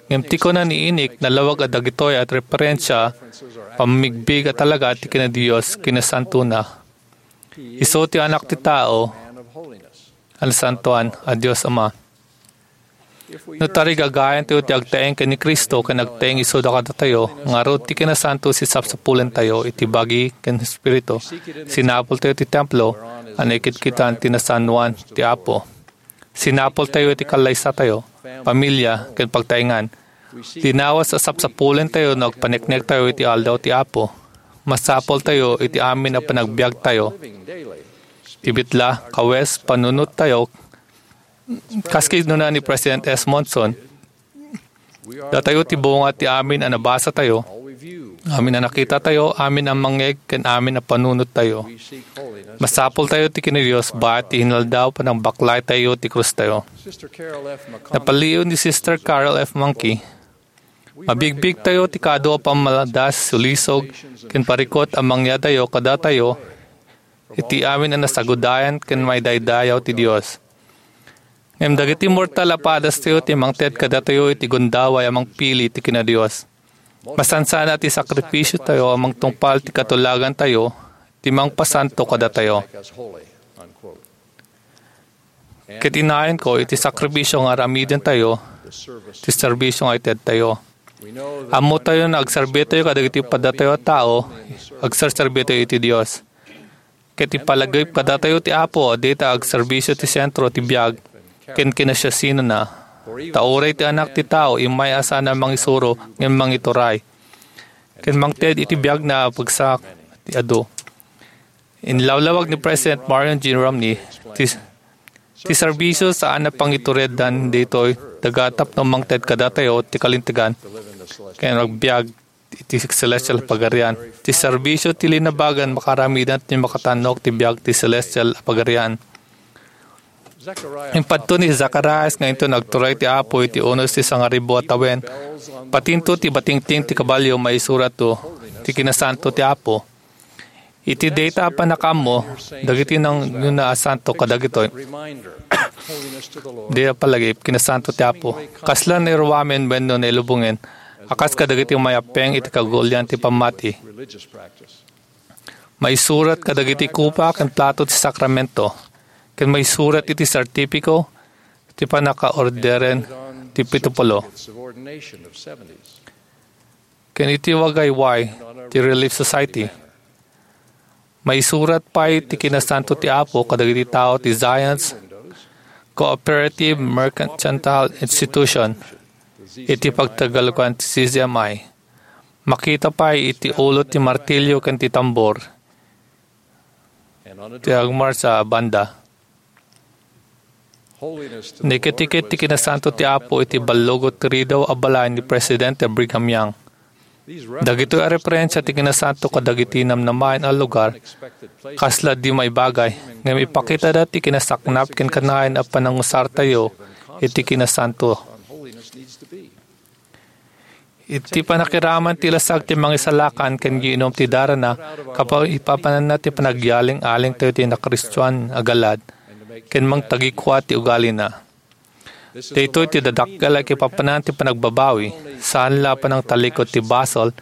ngem ti kuna ni Enoc, nalawag a dagitoy a referensia, pammigbig a talaga ti kinadios, kinasantona. Isu ti Anak ti Tao, a nasantoan a Dios Ama. No tarigagayantayo ti agtaeng ken ni Cristo ken agtaeng isuda kadatayo, ngarud ti kinasanto ti sapsapulentayo iti bagi ken espiritu. Sinapultayo ti templo a naikitkitan ti nasannuan ti Apo. Sinapultayo iti kallaysatayo, pamilia, ken pagtaengan. Linawas a sapsapulentayo no agpaneknektayo iti aldaw ti Apo. Masapultayo iti amin a panagbiagtayo. Ti bitla, kawes, panunottayo, kas kinuna ni President S. Monson, datayo ti bunga ti amin a nabasatayo, amin a nakitatayo, amin a mangngeg, ken amin a panunottayo. Masapultayo ti kinadios, bayat ti inaldaw, panagbaklaytayo ti krustayo. Napaliw ni Sister Carol F. Monkey, mabigbigtayo ti kaadu a pammadas, sulisog, ken parikut a mangyadayo kadatayo iti amin a nasagudayan ken maidaydayaw ti Dios. Ngem dagiti mortal a padastayo ti mangted kadatayo iti gundaway a mangpili ti kinadios. Masansan a ti sakrifisiotayo a mangtungpal ti katulagantayo ti mangpasanto kadatayo. Ket inayanko iti sakripisio nga aramidentayo, ti serbisio nga itedtayo. Ammotayo nga agserbitayo kadagiti padatayo a tao, agserserbitayo iti Dios. Ket ipalagip kadatayo ti Apo a dita agserbisio ti sentro ti biag ken kinasiasinona. Ta uray ti Anak ti Tao immay a saan a mangisuro ngem mangituray, ken mangted iti biagna a pagsak ti adu. Inlawlawag ni President Marion G. Romney ti, ti serbisio saan a pangituredan ditoy daga tapno mangted kadatayo ti kalintegan ken agbiag iti celestial a pagarian. Ti serbisio ti linabagan makaramidan ti makatannok ti biag ti celestial a pagarian. Impadto ni Zacarias nga inton agturay ti Apo iti unos ti sangaribu a tawen, patinto ti batingting ti kabalio maisuratto ti kinasanto ti Apo. Iti dayta a pannakaammo, dagiti nangyuna a santo kadagitoy. Dayta a palagip, kinasanto ti Apo. Kasla nairuamen wenno nailubongen, a kas kadagiti umayappeng iti kagulian ti pammati. Maisurat kadagiti kopa ken plato ti sakramento, ken maisurat iti sertipiko ti pannakaorderen ti pitupulo. Ken iti wagayway ti Relief Society. Maisurat pay ti kinasanto ti Apo kadagiti tao ti Zion's Cooperative Mercantile Institution, iti pagtagalugan ti C Z M I. Makita pay iti ulo ti martilyo ken ti tambor ti agmarsa a banda. Naikit-ikit ti kinasanto ti Apo iti ballugot ti ridaw a balay ni Presidente Brigham Young. Dagitoy a referensia ti kinasanto kadagiti namnamaen a lugar, kasla di maibagay, ngem ipakitada ti kinasaknap ken kanayon a panangusartayo iti kinasanto. Iti panakiraman ti lasag ti mangisalakan ken giinum ti darana, kapaw ipapananna ti panagyaling-alingtayo ti nakristoan a galad ken mangtagikua ti ugalina. Daytoy ti dadakkel a kipapanan ti panagbabawi, saan la a panangtalikod ti basol,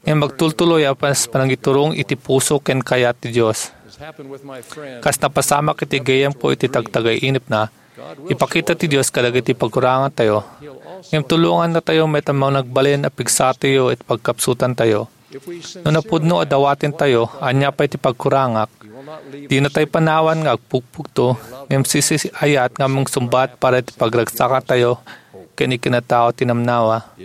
ngem agtultuloy a pas panangiturong iti puso ken kayat ti Dios. Kas napasamak iti gayyemko iti tagtagay-inepna, ipakita ti Dios kadagiti pagkurangantayo, ngem tulongannatayo met a managbalin a pigsatayo iti pagkapsutantayo. No napudno a dawatentayo, ania pay ti pagkurangak? Dinatay panawan nga agpugpugto, ngem sisiayat nga mangsungbat para iti pagragsakantayo ken ikinatao ti namnawa.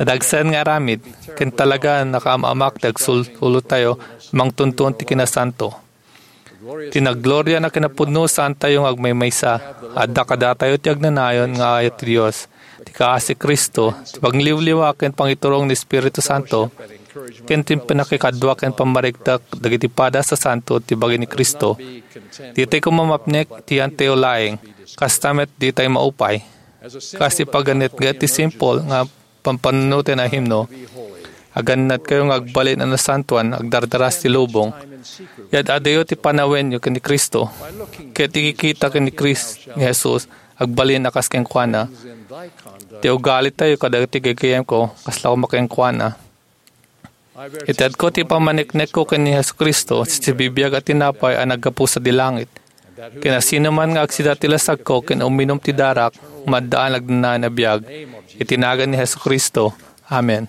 Nadagsen nga aramid, ken talaga nakaam-amak ti agsul-ulotayo mangtuntuon ti kinasanto. Ti naggloria a kinapudno, saantayo nga agmaymaysa. Adda kadatayo ti agnanayon nga ayat ti Dios, ti kaasi Cristo, ti pangliwliwa ken pangiturong ni Espiritu Santo, ken ti pannakikadua ken pammarikdak dagiti padas a santo ti bagi ni Cristo. Ditay koma mapnek ti yantayo laeng, kasta met ditay maupay. Kas ipaganetga ti simple nga pampannunoten a himno, agannadkayo nga agbalin a nasantoan, agdardaras ti lubong. Yad-adayo ti panawenyo ken ni Cristo, ket ikikita ken ni Chris, ni Jesus, agbalin a kas kenkuana. Ti ugalitayo kadagiti gayyemko, kasla koma kenkuana. Itedko ti pammaniknekko ken ni Jesu-Cristo, ti sibibiag a tinapay a naggapu sadi langit. Ken asinoman nga agsida ti lasagko ken uminum ti darak, maaddaan agnanayon a biag. Iti nagan ni Jesu-Cristo. Amen.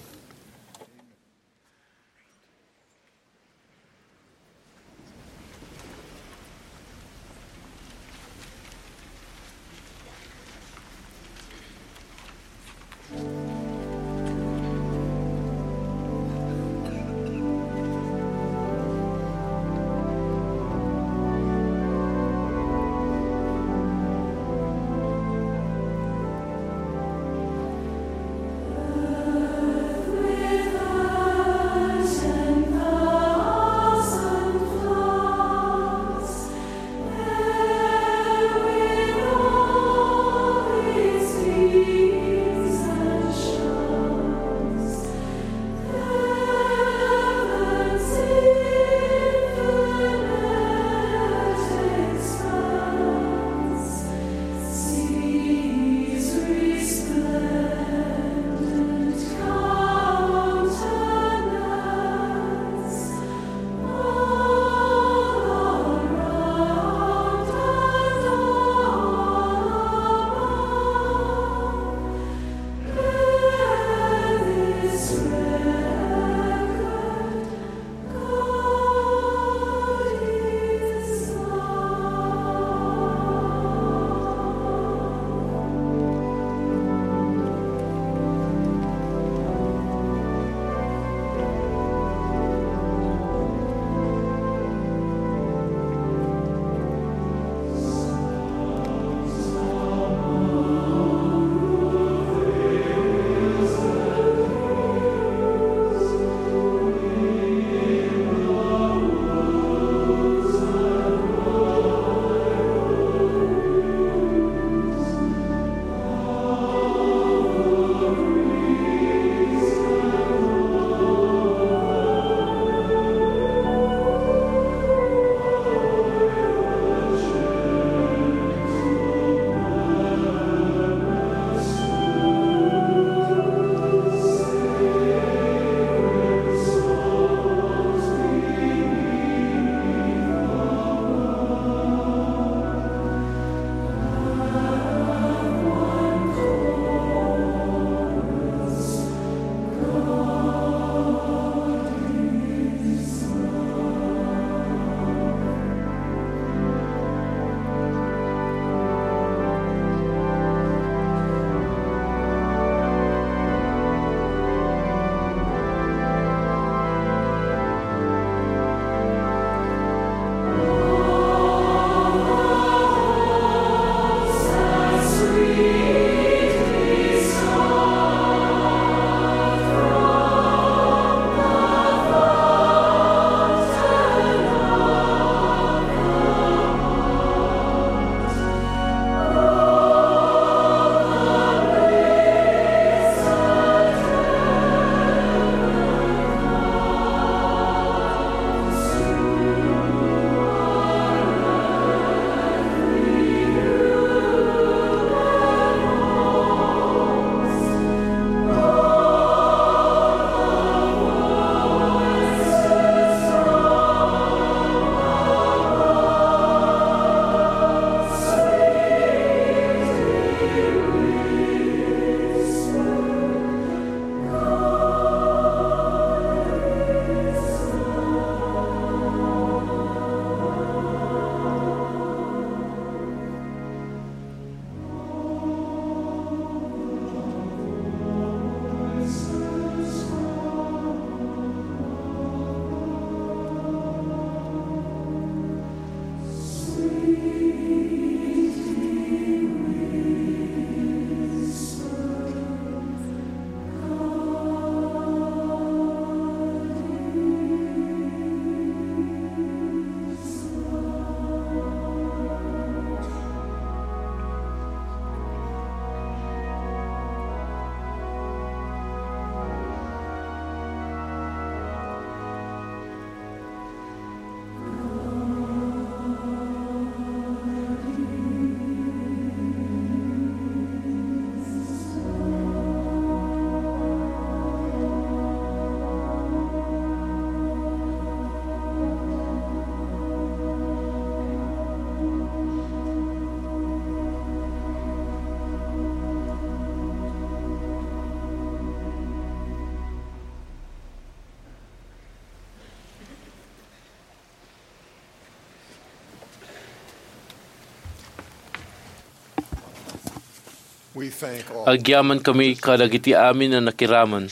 Agyaman kami kadagiti amin a nakiraman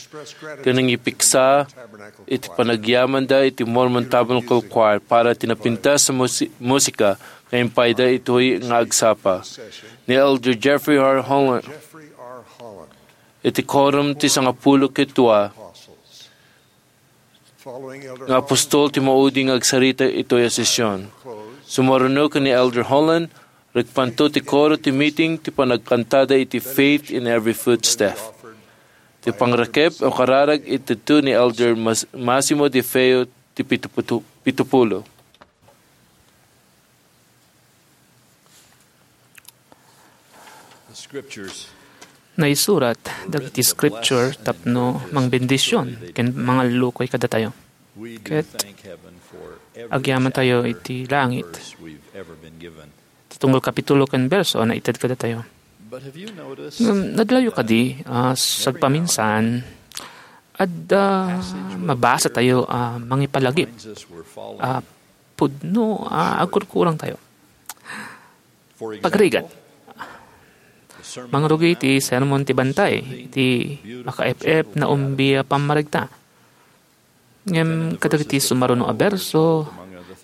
ken nangipiksa iti panagyamanda iti Mormon Tabernacle Choir para ti napintas a musi-, musika nga impayda itoy nga agsapa ni Elder Jeffrey R. Holland iti Quorum ti Sangapulo ket Dua nga apostol ti maudi nga agsarita itoy a sesion. Sumaruno ken ni Elder Holland, rikpanto ti koro ti meeting ti panagkantada iti Faith in Every Footstep. Ti pangrekep o kararag itedto ni Elder Mas-, Massimo De Feo ti pituputu-, pitupulo. Naisurat dagiti scripture tapno mangbendisyon ken mangallukoy kadatayo. Ket agyamantayo iti langit. Ti tunggal kapitulo ken berso a naited kadatayo. Ngem nadlayo kadi, ah, sagpaminsan, adda mabasa tayo a mangipalagip a pudno a agkurkurang tayo. Pagarigat, mangrugi ti sermon ti bantay, ti makaep-ep na umbi a pammarigta. Ngem kadagiti sumaruno a berso,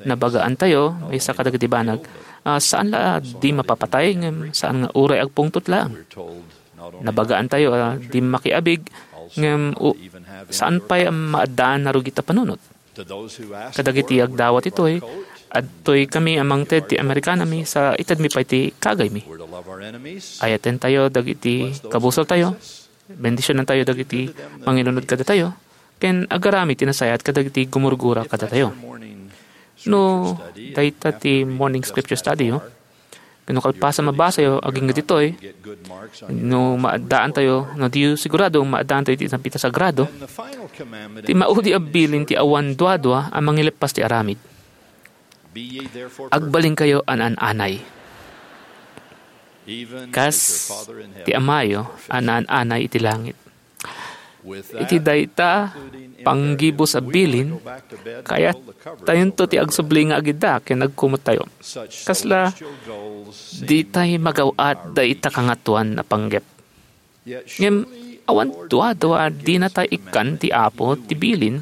nabagaan tayo, maysa kadagiti banag, ah, saan la a di mapapatay, ngem saan nga uray agpungtot laeng. Nabagaan tayo a di makiabig, ngem u-, saan pay a maaddaan a rugit a panunot. Kadagiti agdawat itoy, adtoy kami a mangted ti Amerikanami sa itedmi pay ti kagaymi. Ayaten tayo dagiti kabusor tayo, bendisionan tayo dagiti manginunod kadatayo, ken agaramid ti nasayaat kadagiti gumurgura kadatayo. No, dayta ti morning scripture study, oh. Ken no kalpasan mabasayo agingga ditoy, no maaddaantayo, no diyo sigurado, maaddaantayo iti napintas a grado, ti maudi a bilin ti awan duadua a mangileppas ti aramid. Agbalinkayo an-an-anay. Kas ti Amayo a naan-anay iti langit. Iti dayta panggibus a bilin, kayat tayonto ti agsubli nga agidda ken agkumottayo. Kasla, ditay magaw-at dayta kangatoan a panggep. Ngem awan duadua a dinatay ikkan ti Apo ti bilin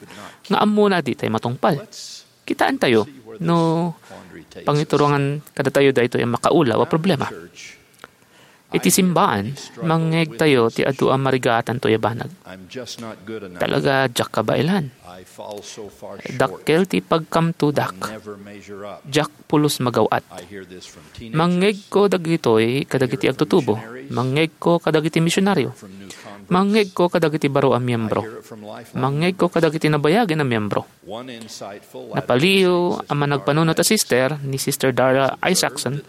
nga ammona ditay matungpal. Kitaentayo no pangiturongan kadatayo daytoy a makaulaw a problema. Iti simbaan, mangngegtayo ti adu a marigaatantoy a banag. Talaga, diak kabaelan. Dakkel ti pagkamtudak. Diak pulos magaw-at. Mangngegko dagitoy kadagiti agtutubo. Mangngegko kadagiti misionaryo. Mangngegko kadagiti baro a miembro. Mangngegko kadagiti nabayagen a miembro. Napaliw a managpanunot a sister ni Sister Darla Isackson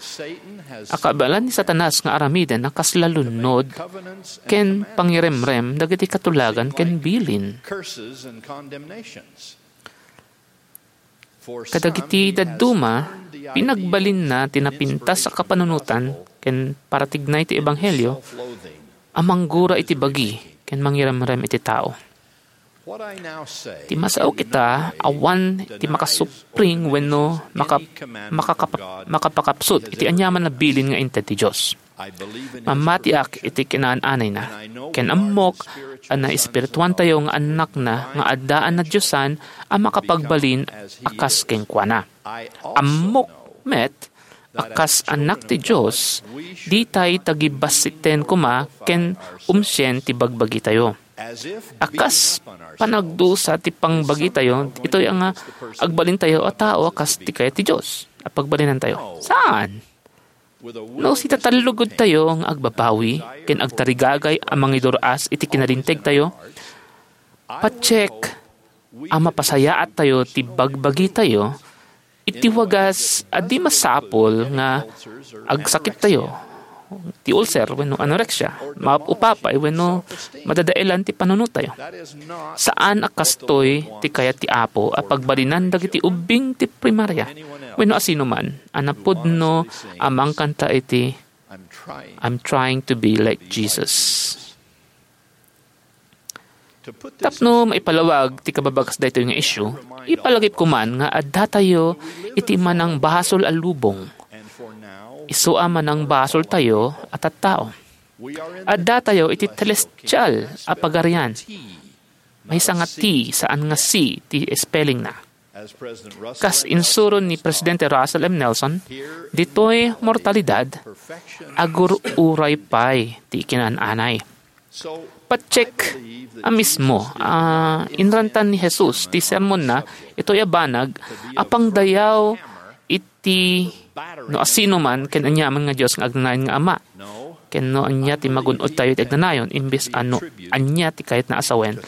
a kabaelan ni Satanas nga aramiden a kasla lunod ken pangiremrem dagiti katulagan ken bilin. Kadagiti dadduma, pinagbalinna ti napintas a kapanunotan ken paratignay ti ebanghelio a manggura iti bagi ken mangiremrem iti tao. Ti masaok ita, awan ti makasupring wenno maka-, makakap-, makapakapsut iti aniaman a bilin nga inted ti Dios. Mammatiak iti kinaan-anayna, ken ammok a naespirituantayo nga annakna nga addaan a diosan a makapagbalin a kas kenkuana. Ammok met a kas annak ti Dios, ditay tagibassiten koma ken umsien ti bagbagitayo. A kas panagdusa ti pangbagitayo, itoy a nga agbalintayo a tao a kas ti kayat ti Dios a pagbalinantayo. Saan? No, sitatallugudtayo nga agbabawi ken agtarigagay a mangidur-as iti kinalintegtayo, patiek a mapasayaattayo ti bagbagitayo iti wagas a di masapul nga agsakittayo ti ulcer wenno anorexia, maupapay wenno madadaelan ti panunottayo. Saan a kastoy ti kayat ti Apo a pagbalinan dagiti ubbing ti primaria wenno asinoman a napudno a mangkanta iti "I'm trying to be like Jesus." Tapno maipalawag ti kababagas daytoy nga isyu, ipalagipko man nga addatayo iti manangbasol a lubong. Isu a manangbasoltayo a tattao. Addatayo iti telestial a pagarian. Maysa nga T, saan nga C ti spellingna. Kas insuro ni Presidente Russell M. Nelson, ditoy mortalidad, agur-uray pay ti kinaan-anay. Patsek a mismo, ah, inrantan ni Jesus ti sermonna itoy a banag a pangdayaw iti no asino man ken aniaman nga Dios nga agnanayon nga Ama, ken no ania ti magun-odtayo iti agnanayon, imbes a no ania ti kayatna a sawen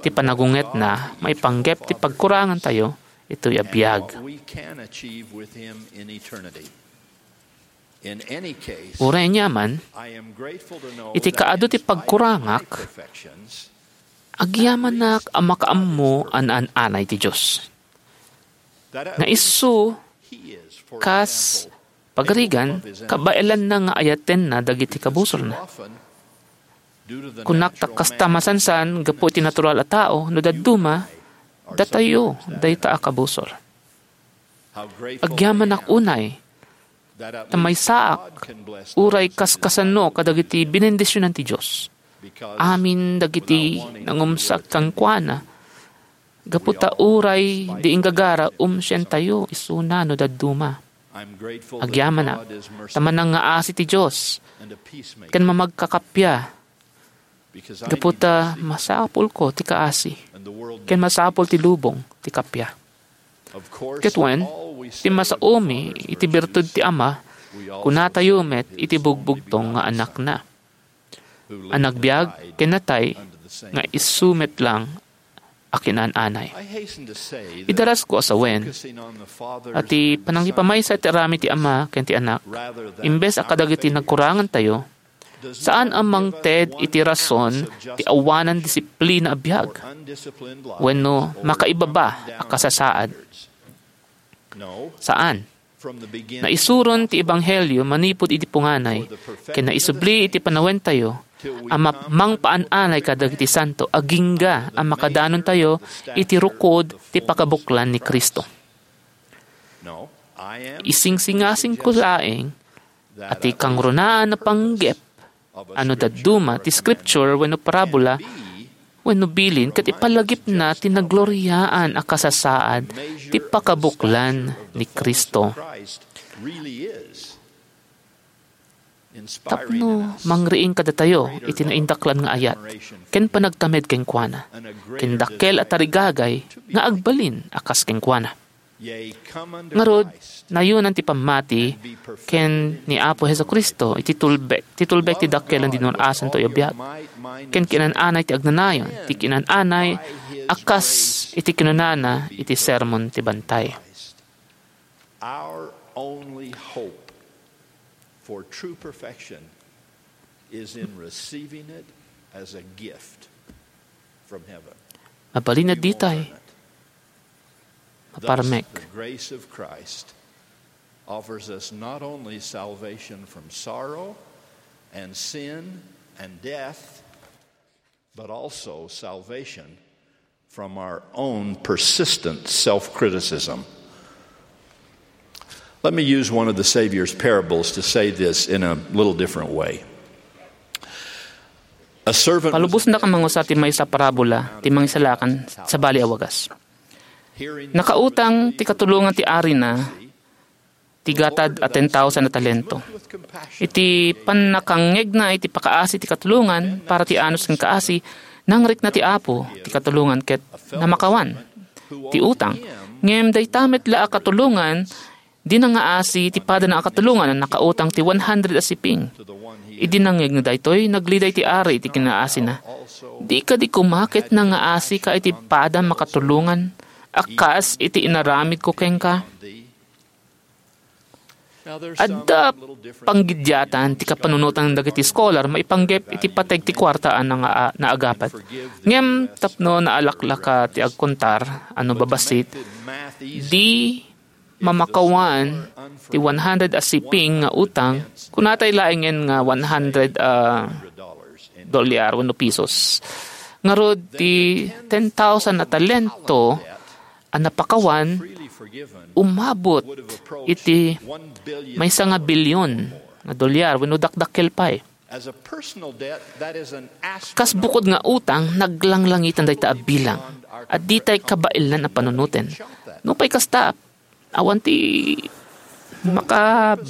ti panagungetna maipanggep ti pagkurangantayo itoy a biag. Uray aniaman, iti kaadu ti pagkurangak, agyamanak a makaammo a naan-anay ti Dios. Nga isu, kas pagarigan, kabaelanna nga ayatenna dagiti kabusorna. Kunak ta kasta masansan gapu iti natural a tao, no dadduma, datayo dayta a kabusor. Agyamanak unay, ta maysaak, uray kaskasano kadagiti benendisionan ti Dios. Amin dagiti nangumsat kenkuana, gapu ta uray di inggagara, umsientayo isuna no dadduma. Agyamanak, ta manangngaasi ti Dios, ken mamagkakappia, gapu ta masapulko ti kaasi, ken masapul ti lubong ti kappia. Ket wen, ti masaomi iti birtud ti Ama, kunatayo met iti bugbugtong nga Anakna, a nagbiag ken natay nga isu met lang a kinaan-anay. Idarasko a sawen, a ti panangipamaysa iti aramid ti Ama ken ti Anak, imbes a kadagiti nagkurangantayo, saan a mangted iti rason ti awanan disiplina a biag wenno makaibaba a kasasaad. Saan. Naisuron ti ebanghelio manipud idi punganay, ken naisubli iti panawentayo a ma-, mangpaan-anay kadagiti santo agingga a makadanontayo iti rukod ti pakabuklan ni Cristo. Isingsingasingko laeng a ti kangrunaan a panggep a no dadduma ti scripture wenno parabola wenno bilin ket ipalagipna ti nagloriaan a kasasaad ti pakabuklan ni Cristo. Tapno mangriing kadatayo iti naindaklan nga ayat ken panagtamed kenkuana, ken dakkel a tarigagay nga agbalin a kas kenkuana. Ngarud, nayonan ti pammati ken ni Apo Jesu-Cristo iti tulbek, ti tulbek ti dakkel a dinur-asanto a biag, ken kinan-anay ti agnanayon, ti kinan-anay a kas iti kinunana iti Sermon ti Bantay. Our only hope for true perfection is in receiving it as a gift from heaven. Mabalin a ditay maparmek. Thus, the grace of Christ offers us not only salvation from sorrow and sin and death, but also salvation from our own persistent self-criticism. Let me use one of the Savior's parables to say this in a little different way. A servant was Palubosnak a mangusa ti maysa a parabola ti mangisalakan sabali a wagas. Nakautang ti katulongan ti arina ti gatad a ten thousand a talento. Iti pannakangngegna iti pakaasi ti katulongan para ti anus ken kaasi, nangrikna ti Apo ti katulongan ket namakawan ti utang. Ngem dayta met la a katulongan, di nangaasi ti padana a katulongan a nakautang ti one hundred a siping. Idi nangngegna daytoy, nagliday ti ari iti kinaasina. Di kadi koma ket nangaasika iti padam a katulongan a kas iti inaramidko kenka? Adda panggidiatan ti kapanunotan dagiti scholar maipanggep iti pateg ti kuarta a nanga-, naagapat. Ngem tapno naalaklaka ti agkontar a no babassit, di mamakawan ti one hundred a siping nga utang, kunatay laengen nga one hundred a dolyar wenno pisos. Ngarud, ti ten thousand a talento a napakawan, umabot iti maysa nga bilyon nga dolyar wenno dakdakkel pay. Kas bukod nga utang, naglanglangitan dayta a bilang a ditay kabaelan a panunoten. Nupay kasta, awan ti maka-,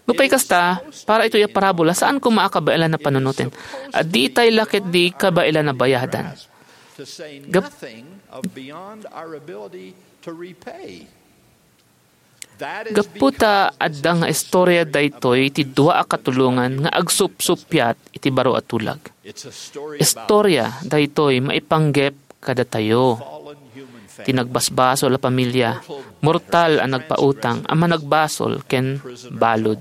nupay kasta, para itoy a parabola, saan koma a kabaelan a panunoten. A ditay la ketdi kabaelan a bayadan. Gap-, Gapu ta adda nga istorya daytoy ti dua a katulongan nga agsupsuppiat iti baro a tulag. Istorya daytoy maipanggep kadatayo. Ti nagbasbasol a pamilia, mortal a nagpautang a managbasol ken balud.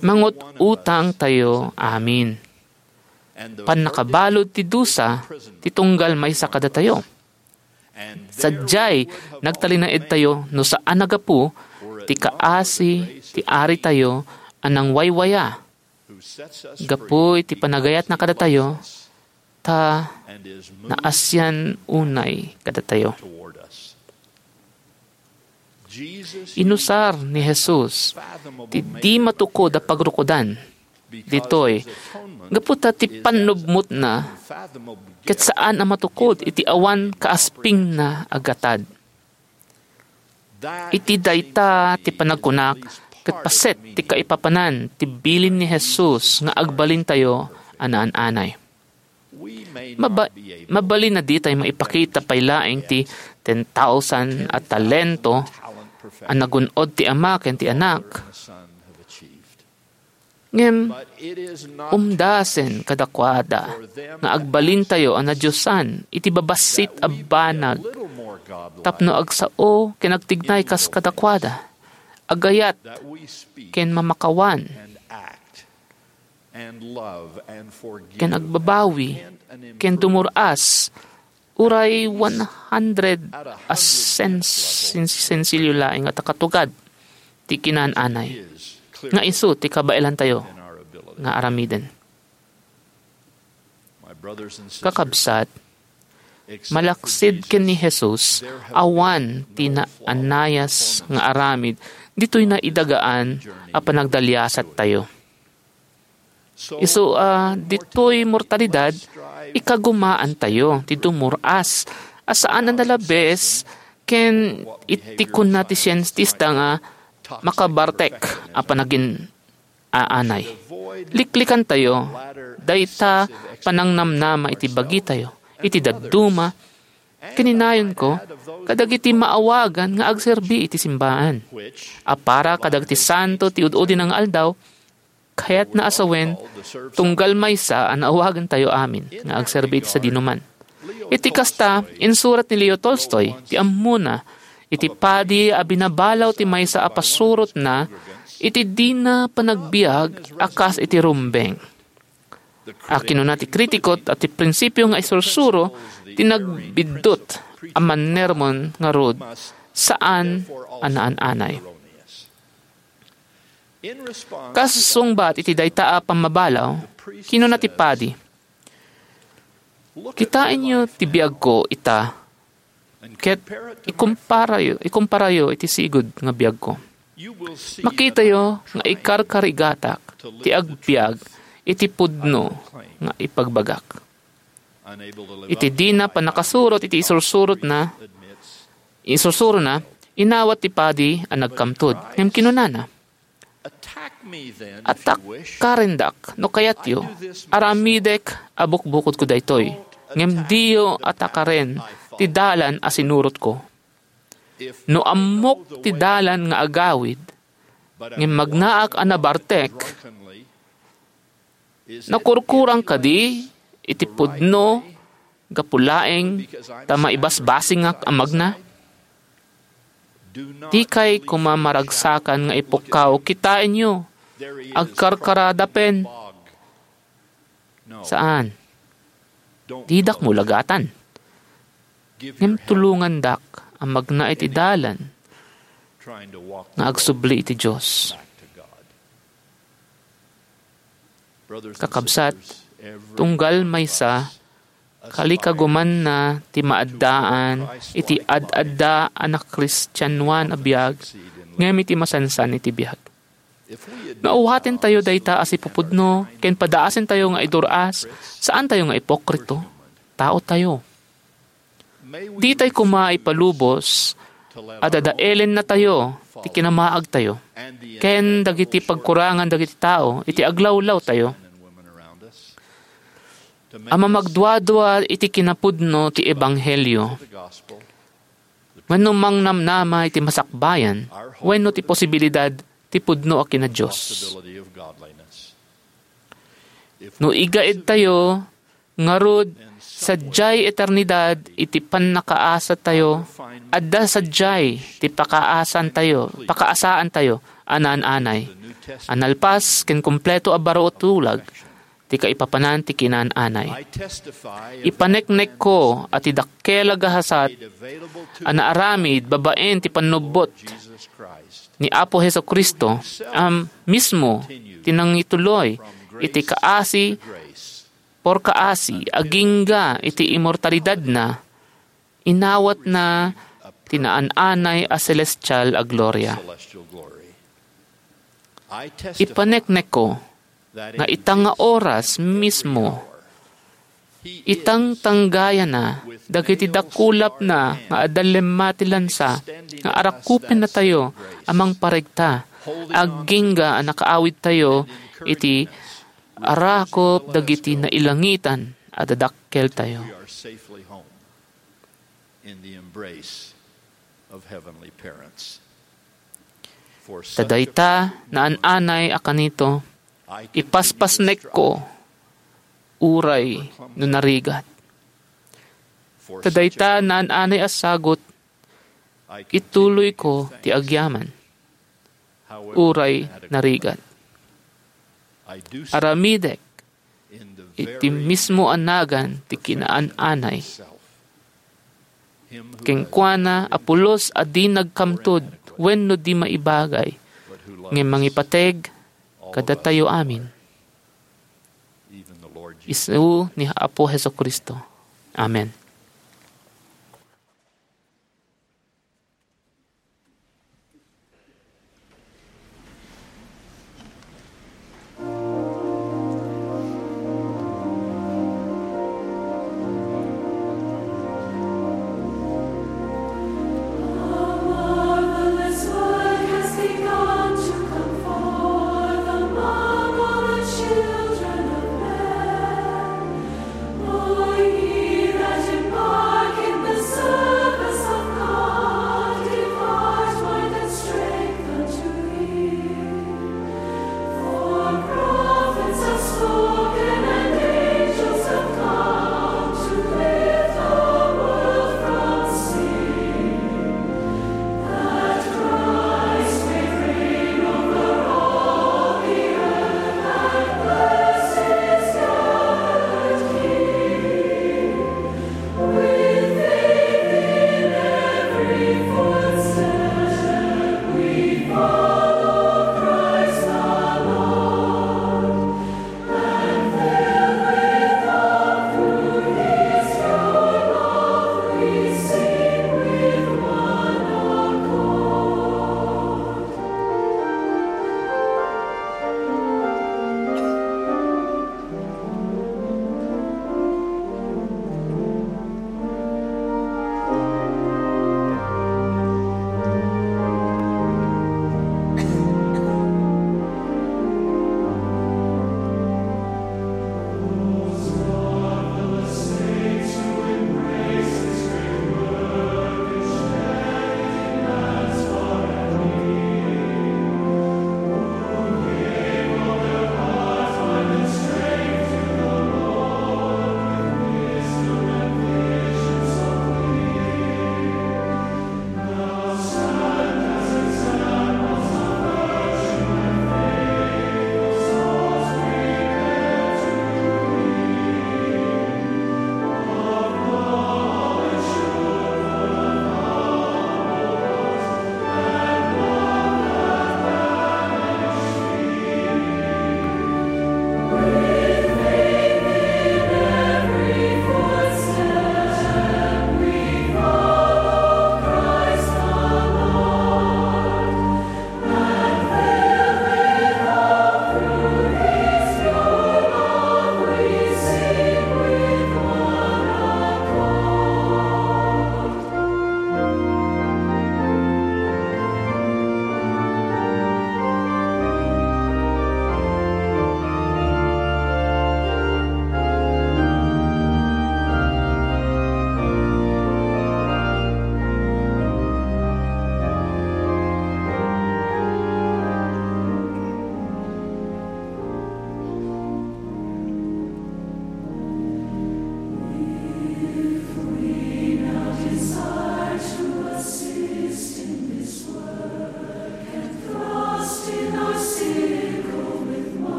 Mangut-utang tayo amin. Pannakabalud ti dusa ti tunggal maysa kadatayo. Sadiay, nagtalinaedtayo no saan a gapu ti kaasi ti aritayo a nangwaywaya. Gapu iti panagayatna kadatayo, ta naasian unay kadatayo. Inusar ni Jesus ti di matukod a pagrukodan ditoy, gapu ta ti pannubmutna ket saan a matukod iti awan kaaspingna a gatad. Iti dayta ti panagkunak ket paset ti kaipapanan ti bilin ni Jesus nga agbalintayo a naan-anay. Maba-, mabalin a ditay maipakita pay laeng ti ten thousand a talento a nagun-od ti Ama ken ti Anak. Ngem umdasen kadakuada nga agbalintayo a nadiosan iti babassit a banag tapno agsao ken agtignay kas kadakuada, agayat ken mamakawan, ken agbabawi, ken dumur-as, uray one hundred a sens-, sen-, sensilyo laeng a takatugad ti kinaan-anay, nga isu ti kabaelantayo nga aramiden. Kakabsat, malaksid ken ni Jesus, awan ti naanayas nga aramid ditoy naidagaan a panagdaliasattayo. Isu a ditoy mortalidad, ikagumaantayo ti dumur-as a saan a nalabes ken iti kunna ti sientista nga makabartek a panagin-aanay. Liklikantayo dayta panangnamnama iti bagitayo, iti dadduma, ken inayonko kadagiti maawagan nga agserbi iti simbaan a para kadagiti santo ti ud-udina nga aldaw, kayatna a sawen, tunggal maysa a naawagentayo amin nga agserbi iti sadinoman. Iti kasta, insurat ni Leo Tolstoy ti ammona iti padi a binabalaw ti maysa a pasurotna iti dina panagbiag a kas iti rumbeng. A kinuna ti kritiko a ti prinsipio nga isursuro ti nagbiddut a mannermon ngarud saan a naan-anay. Kas sungbat iti dayta a pammabalaw, kinuna ti padi, "Kitaenyo ti biagko ita, ket ikumparayo, ikumparayo iti sigud nga biagko. Makitayo nga ikarkarigatak ti agbiag iti pudno nga ipagbagak." Iti dina pannakasurot iti isursurotna, isursurona, inawat ti padi a nagkamtud. Ngem kinunana, "Atakarendak no kayatyo. Aramidek a bukbukodko daytoy, ngem diyo atakaren ti dalan a sinurotko. No ammok ti dalan nga agawid, ngem magnaak a nabartek, nakurkurang kadi iti pudno gapu laeng ta maibasbasingak a magna? Dikay koma maragsakan nga ipukkaw, kitaenyo, agkarkaradapen." Saan. Didak mulagatan. Ngem tulongandak a magna iti dalan nga agsubli iti Dios. Kakabsat, tunggal maysa, kalikagumanna ti maaddaan iti ad-adda a nakristianoan a biag, ngem iti masansan iti biag. No awaten tayo dayta a sipupudno ken padaasen tayo nga idur-as, saan tayo nga ipokrito. Tao tayo. Di tay koma ipalubos a dadaelen na tayo ti kinamaag tayo ken dagiti pagkurangan dagiti tao iti aglawlaw tayo a mamagduadua iti kinapudno ti ebanghelio wenno mangnamnama iti masakbayan wenno ti posibilidad ti pudno a kina-Dios. No igaed tayo, ngarud, sadiay eternidad iti pannakaasatayo, adda sadiay ti pakaasantayo, pakaasaantayo a naan-anay. A nalpas ken kompleto a baro a tulag ti kaipapanan ti kinaan-anay. Ipaneknekko a ti dakkel a gasat a naaramid babaen ti pannubbot ni Apo Jesu-Cristo a mismo ti nangituloy iti kaasi por kaasi agingga iti immortalidadna, inawatna ti naan-anay a selestial a gloria. Ipaneknekko nga ita nga oras mismo, itangtanggayana dagiti dakulapna nga adda lemma ti lansa nga arakupennatayo a mangparegta agingga a nakaawidtayo iti arakup dagiti nailangitan a dadakkeltayo. Ta dayta naan-anay a kanito, ipaspasnekko uray no narigat. Ta dayta naan-anay a sagut, ituloyko ti agyaman uray narigat. Aramidek iti mismo a nagan ti kinaan-anay. Kenkuana a pulos a di nagkamtud wenno di maibagay, ngem mangipateg kadatayo amin. Isu ni Apo Jesu-Cristo. Amen.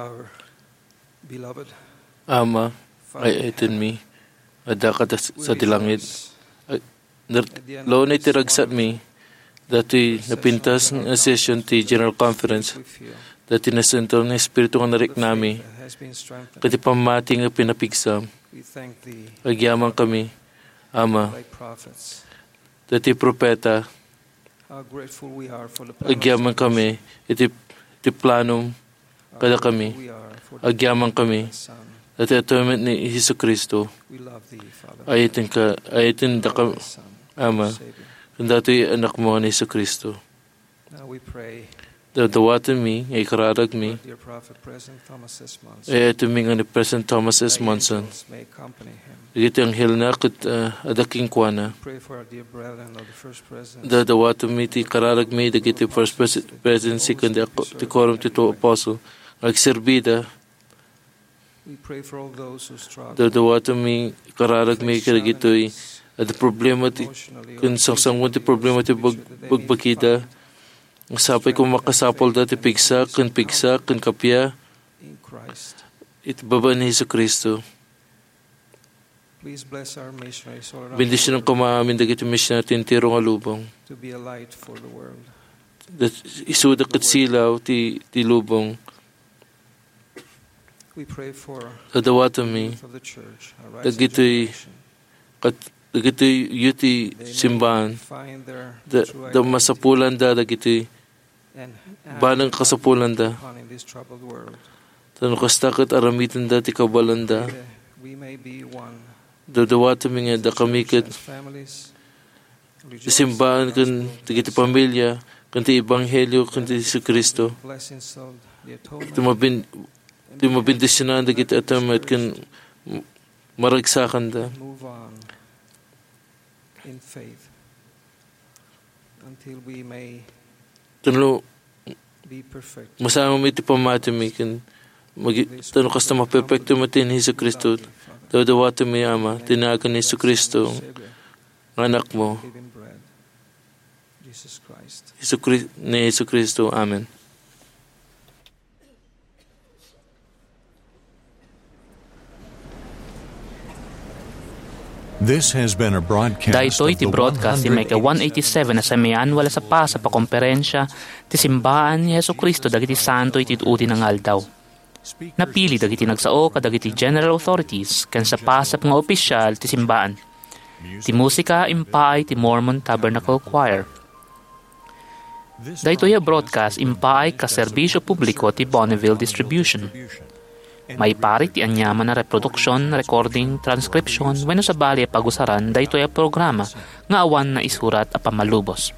Our beloved Ama, ay-ayatenmi, adda ka sadi langit. Ay, ner-, launay ti ragsakmi, datoy napintas nga session ti General Conference, datoy nasentralna nga Espiritu nga nariknami, ket ti pammati nga pinapigsam. Agyamankami, Ama, datoy propeta, agyamankami iti, iti planom kadakami. Agyamankami iti atonement ni Jesu-Cristo. Ayatenka, ayatendaka, Ama, ken datoy Anakmo ni Jesu-Cristo. Dadawatenmi nga ikararagmi, ayatenmi nga ni President Thomas S. Monson. Dagiti anghelna ket, ah, adda kenkuana. Dadawatenmi ti kararagmi dagiti First Pres-, Presidency ken di-, ti Quorum ti Two Apostle nga agserbida. Dadawatenmi kararagmi kadagitoy adda problema ti, ken sangsangon ti problema ti bag-, bagbagida. Sapay koma makasapulda ti pigsa ken pigsa ken kappia iti babaen ni Jesu-Cristo. Bendisionan koma amin dagiti misionary ti entero nga lubong. Isuda ket silaw ti, ti lubong. Dadawatenmi dagitoy kat-, dagitoy yu ti simbaan. Da, da masapulanda dagitoy banag kasapulanda. Ta no kasta ket aramidenda ti kabalanda. Dadawatenmi nga dakami ket ti simbaan ken dagiti pamilia ken ti ebanghelio ken ti Jesu-Cristo. Ti mabin-, ti mabendisionan dagiti atonement ken maragsakanda. Ken no, masangomi ti pammatimi ken magi-, ta no kasta maperpekto met ni Jesu-Cristo, dadawatenmi, Ama, ti nagan ni Jesu-Cristo nga Anakmo. Jesu-Cri-, ni Jesu-Cristo. Amen. This has been a broadcast Daytoy of ti the broadcast ti maika one eighty-seven a semiannual a sapasap a komperensia ti simbaan ni Jesu-Cristo dagiti santo iti udi nga aldaw. Napili dagiti nagsao kadagiti general authorities ken sapasap nga opisial ti simbaan. Ti musika impaay ti Mormon Tabernacle Choir. Daytoy a broadcast impaay kas serbisyo publiko ti Bonneville Distribution. Maiparit ti aniaman a reproduksion, recording, transcription, wenno sabali a pagusaran daytoy a programa nga awan naisurat a pammalubos.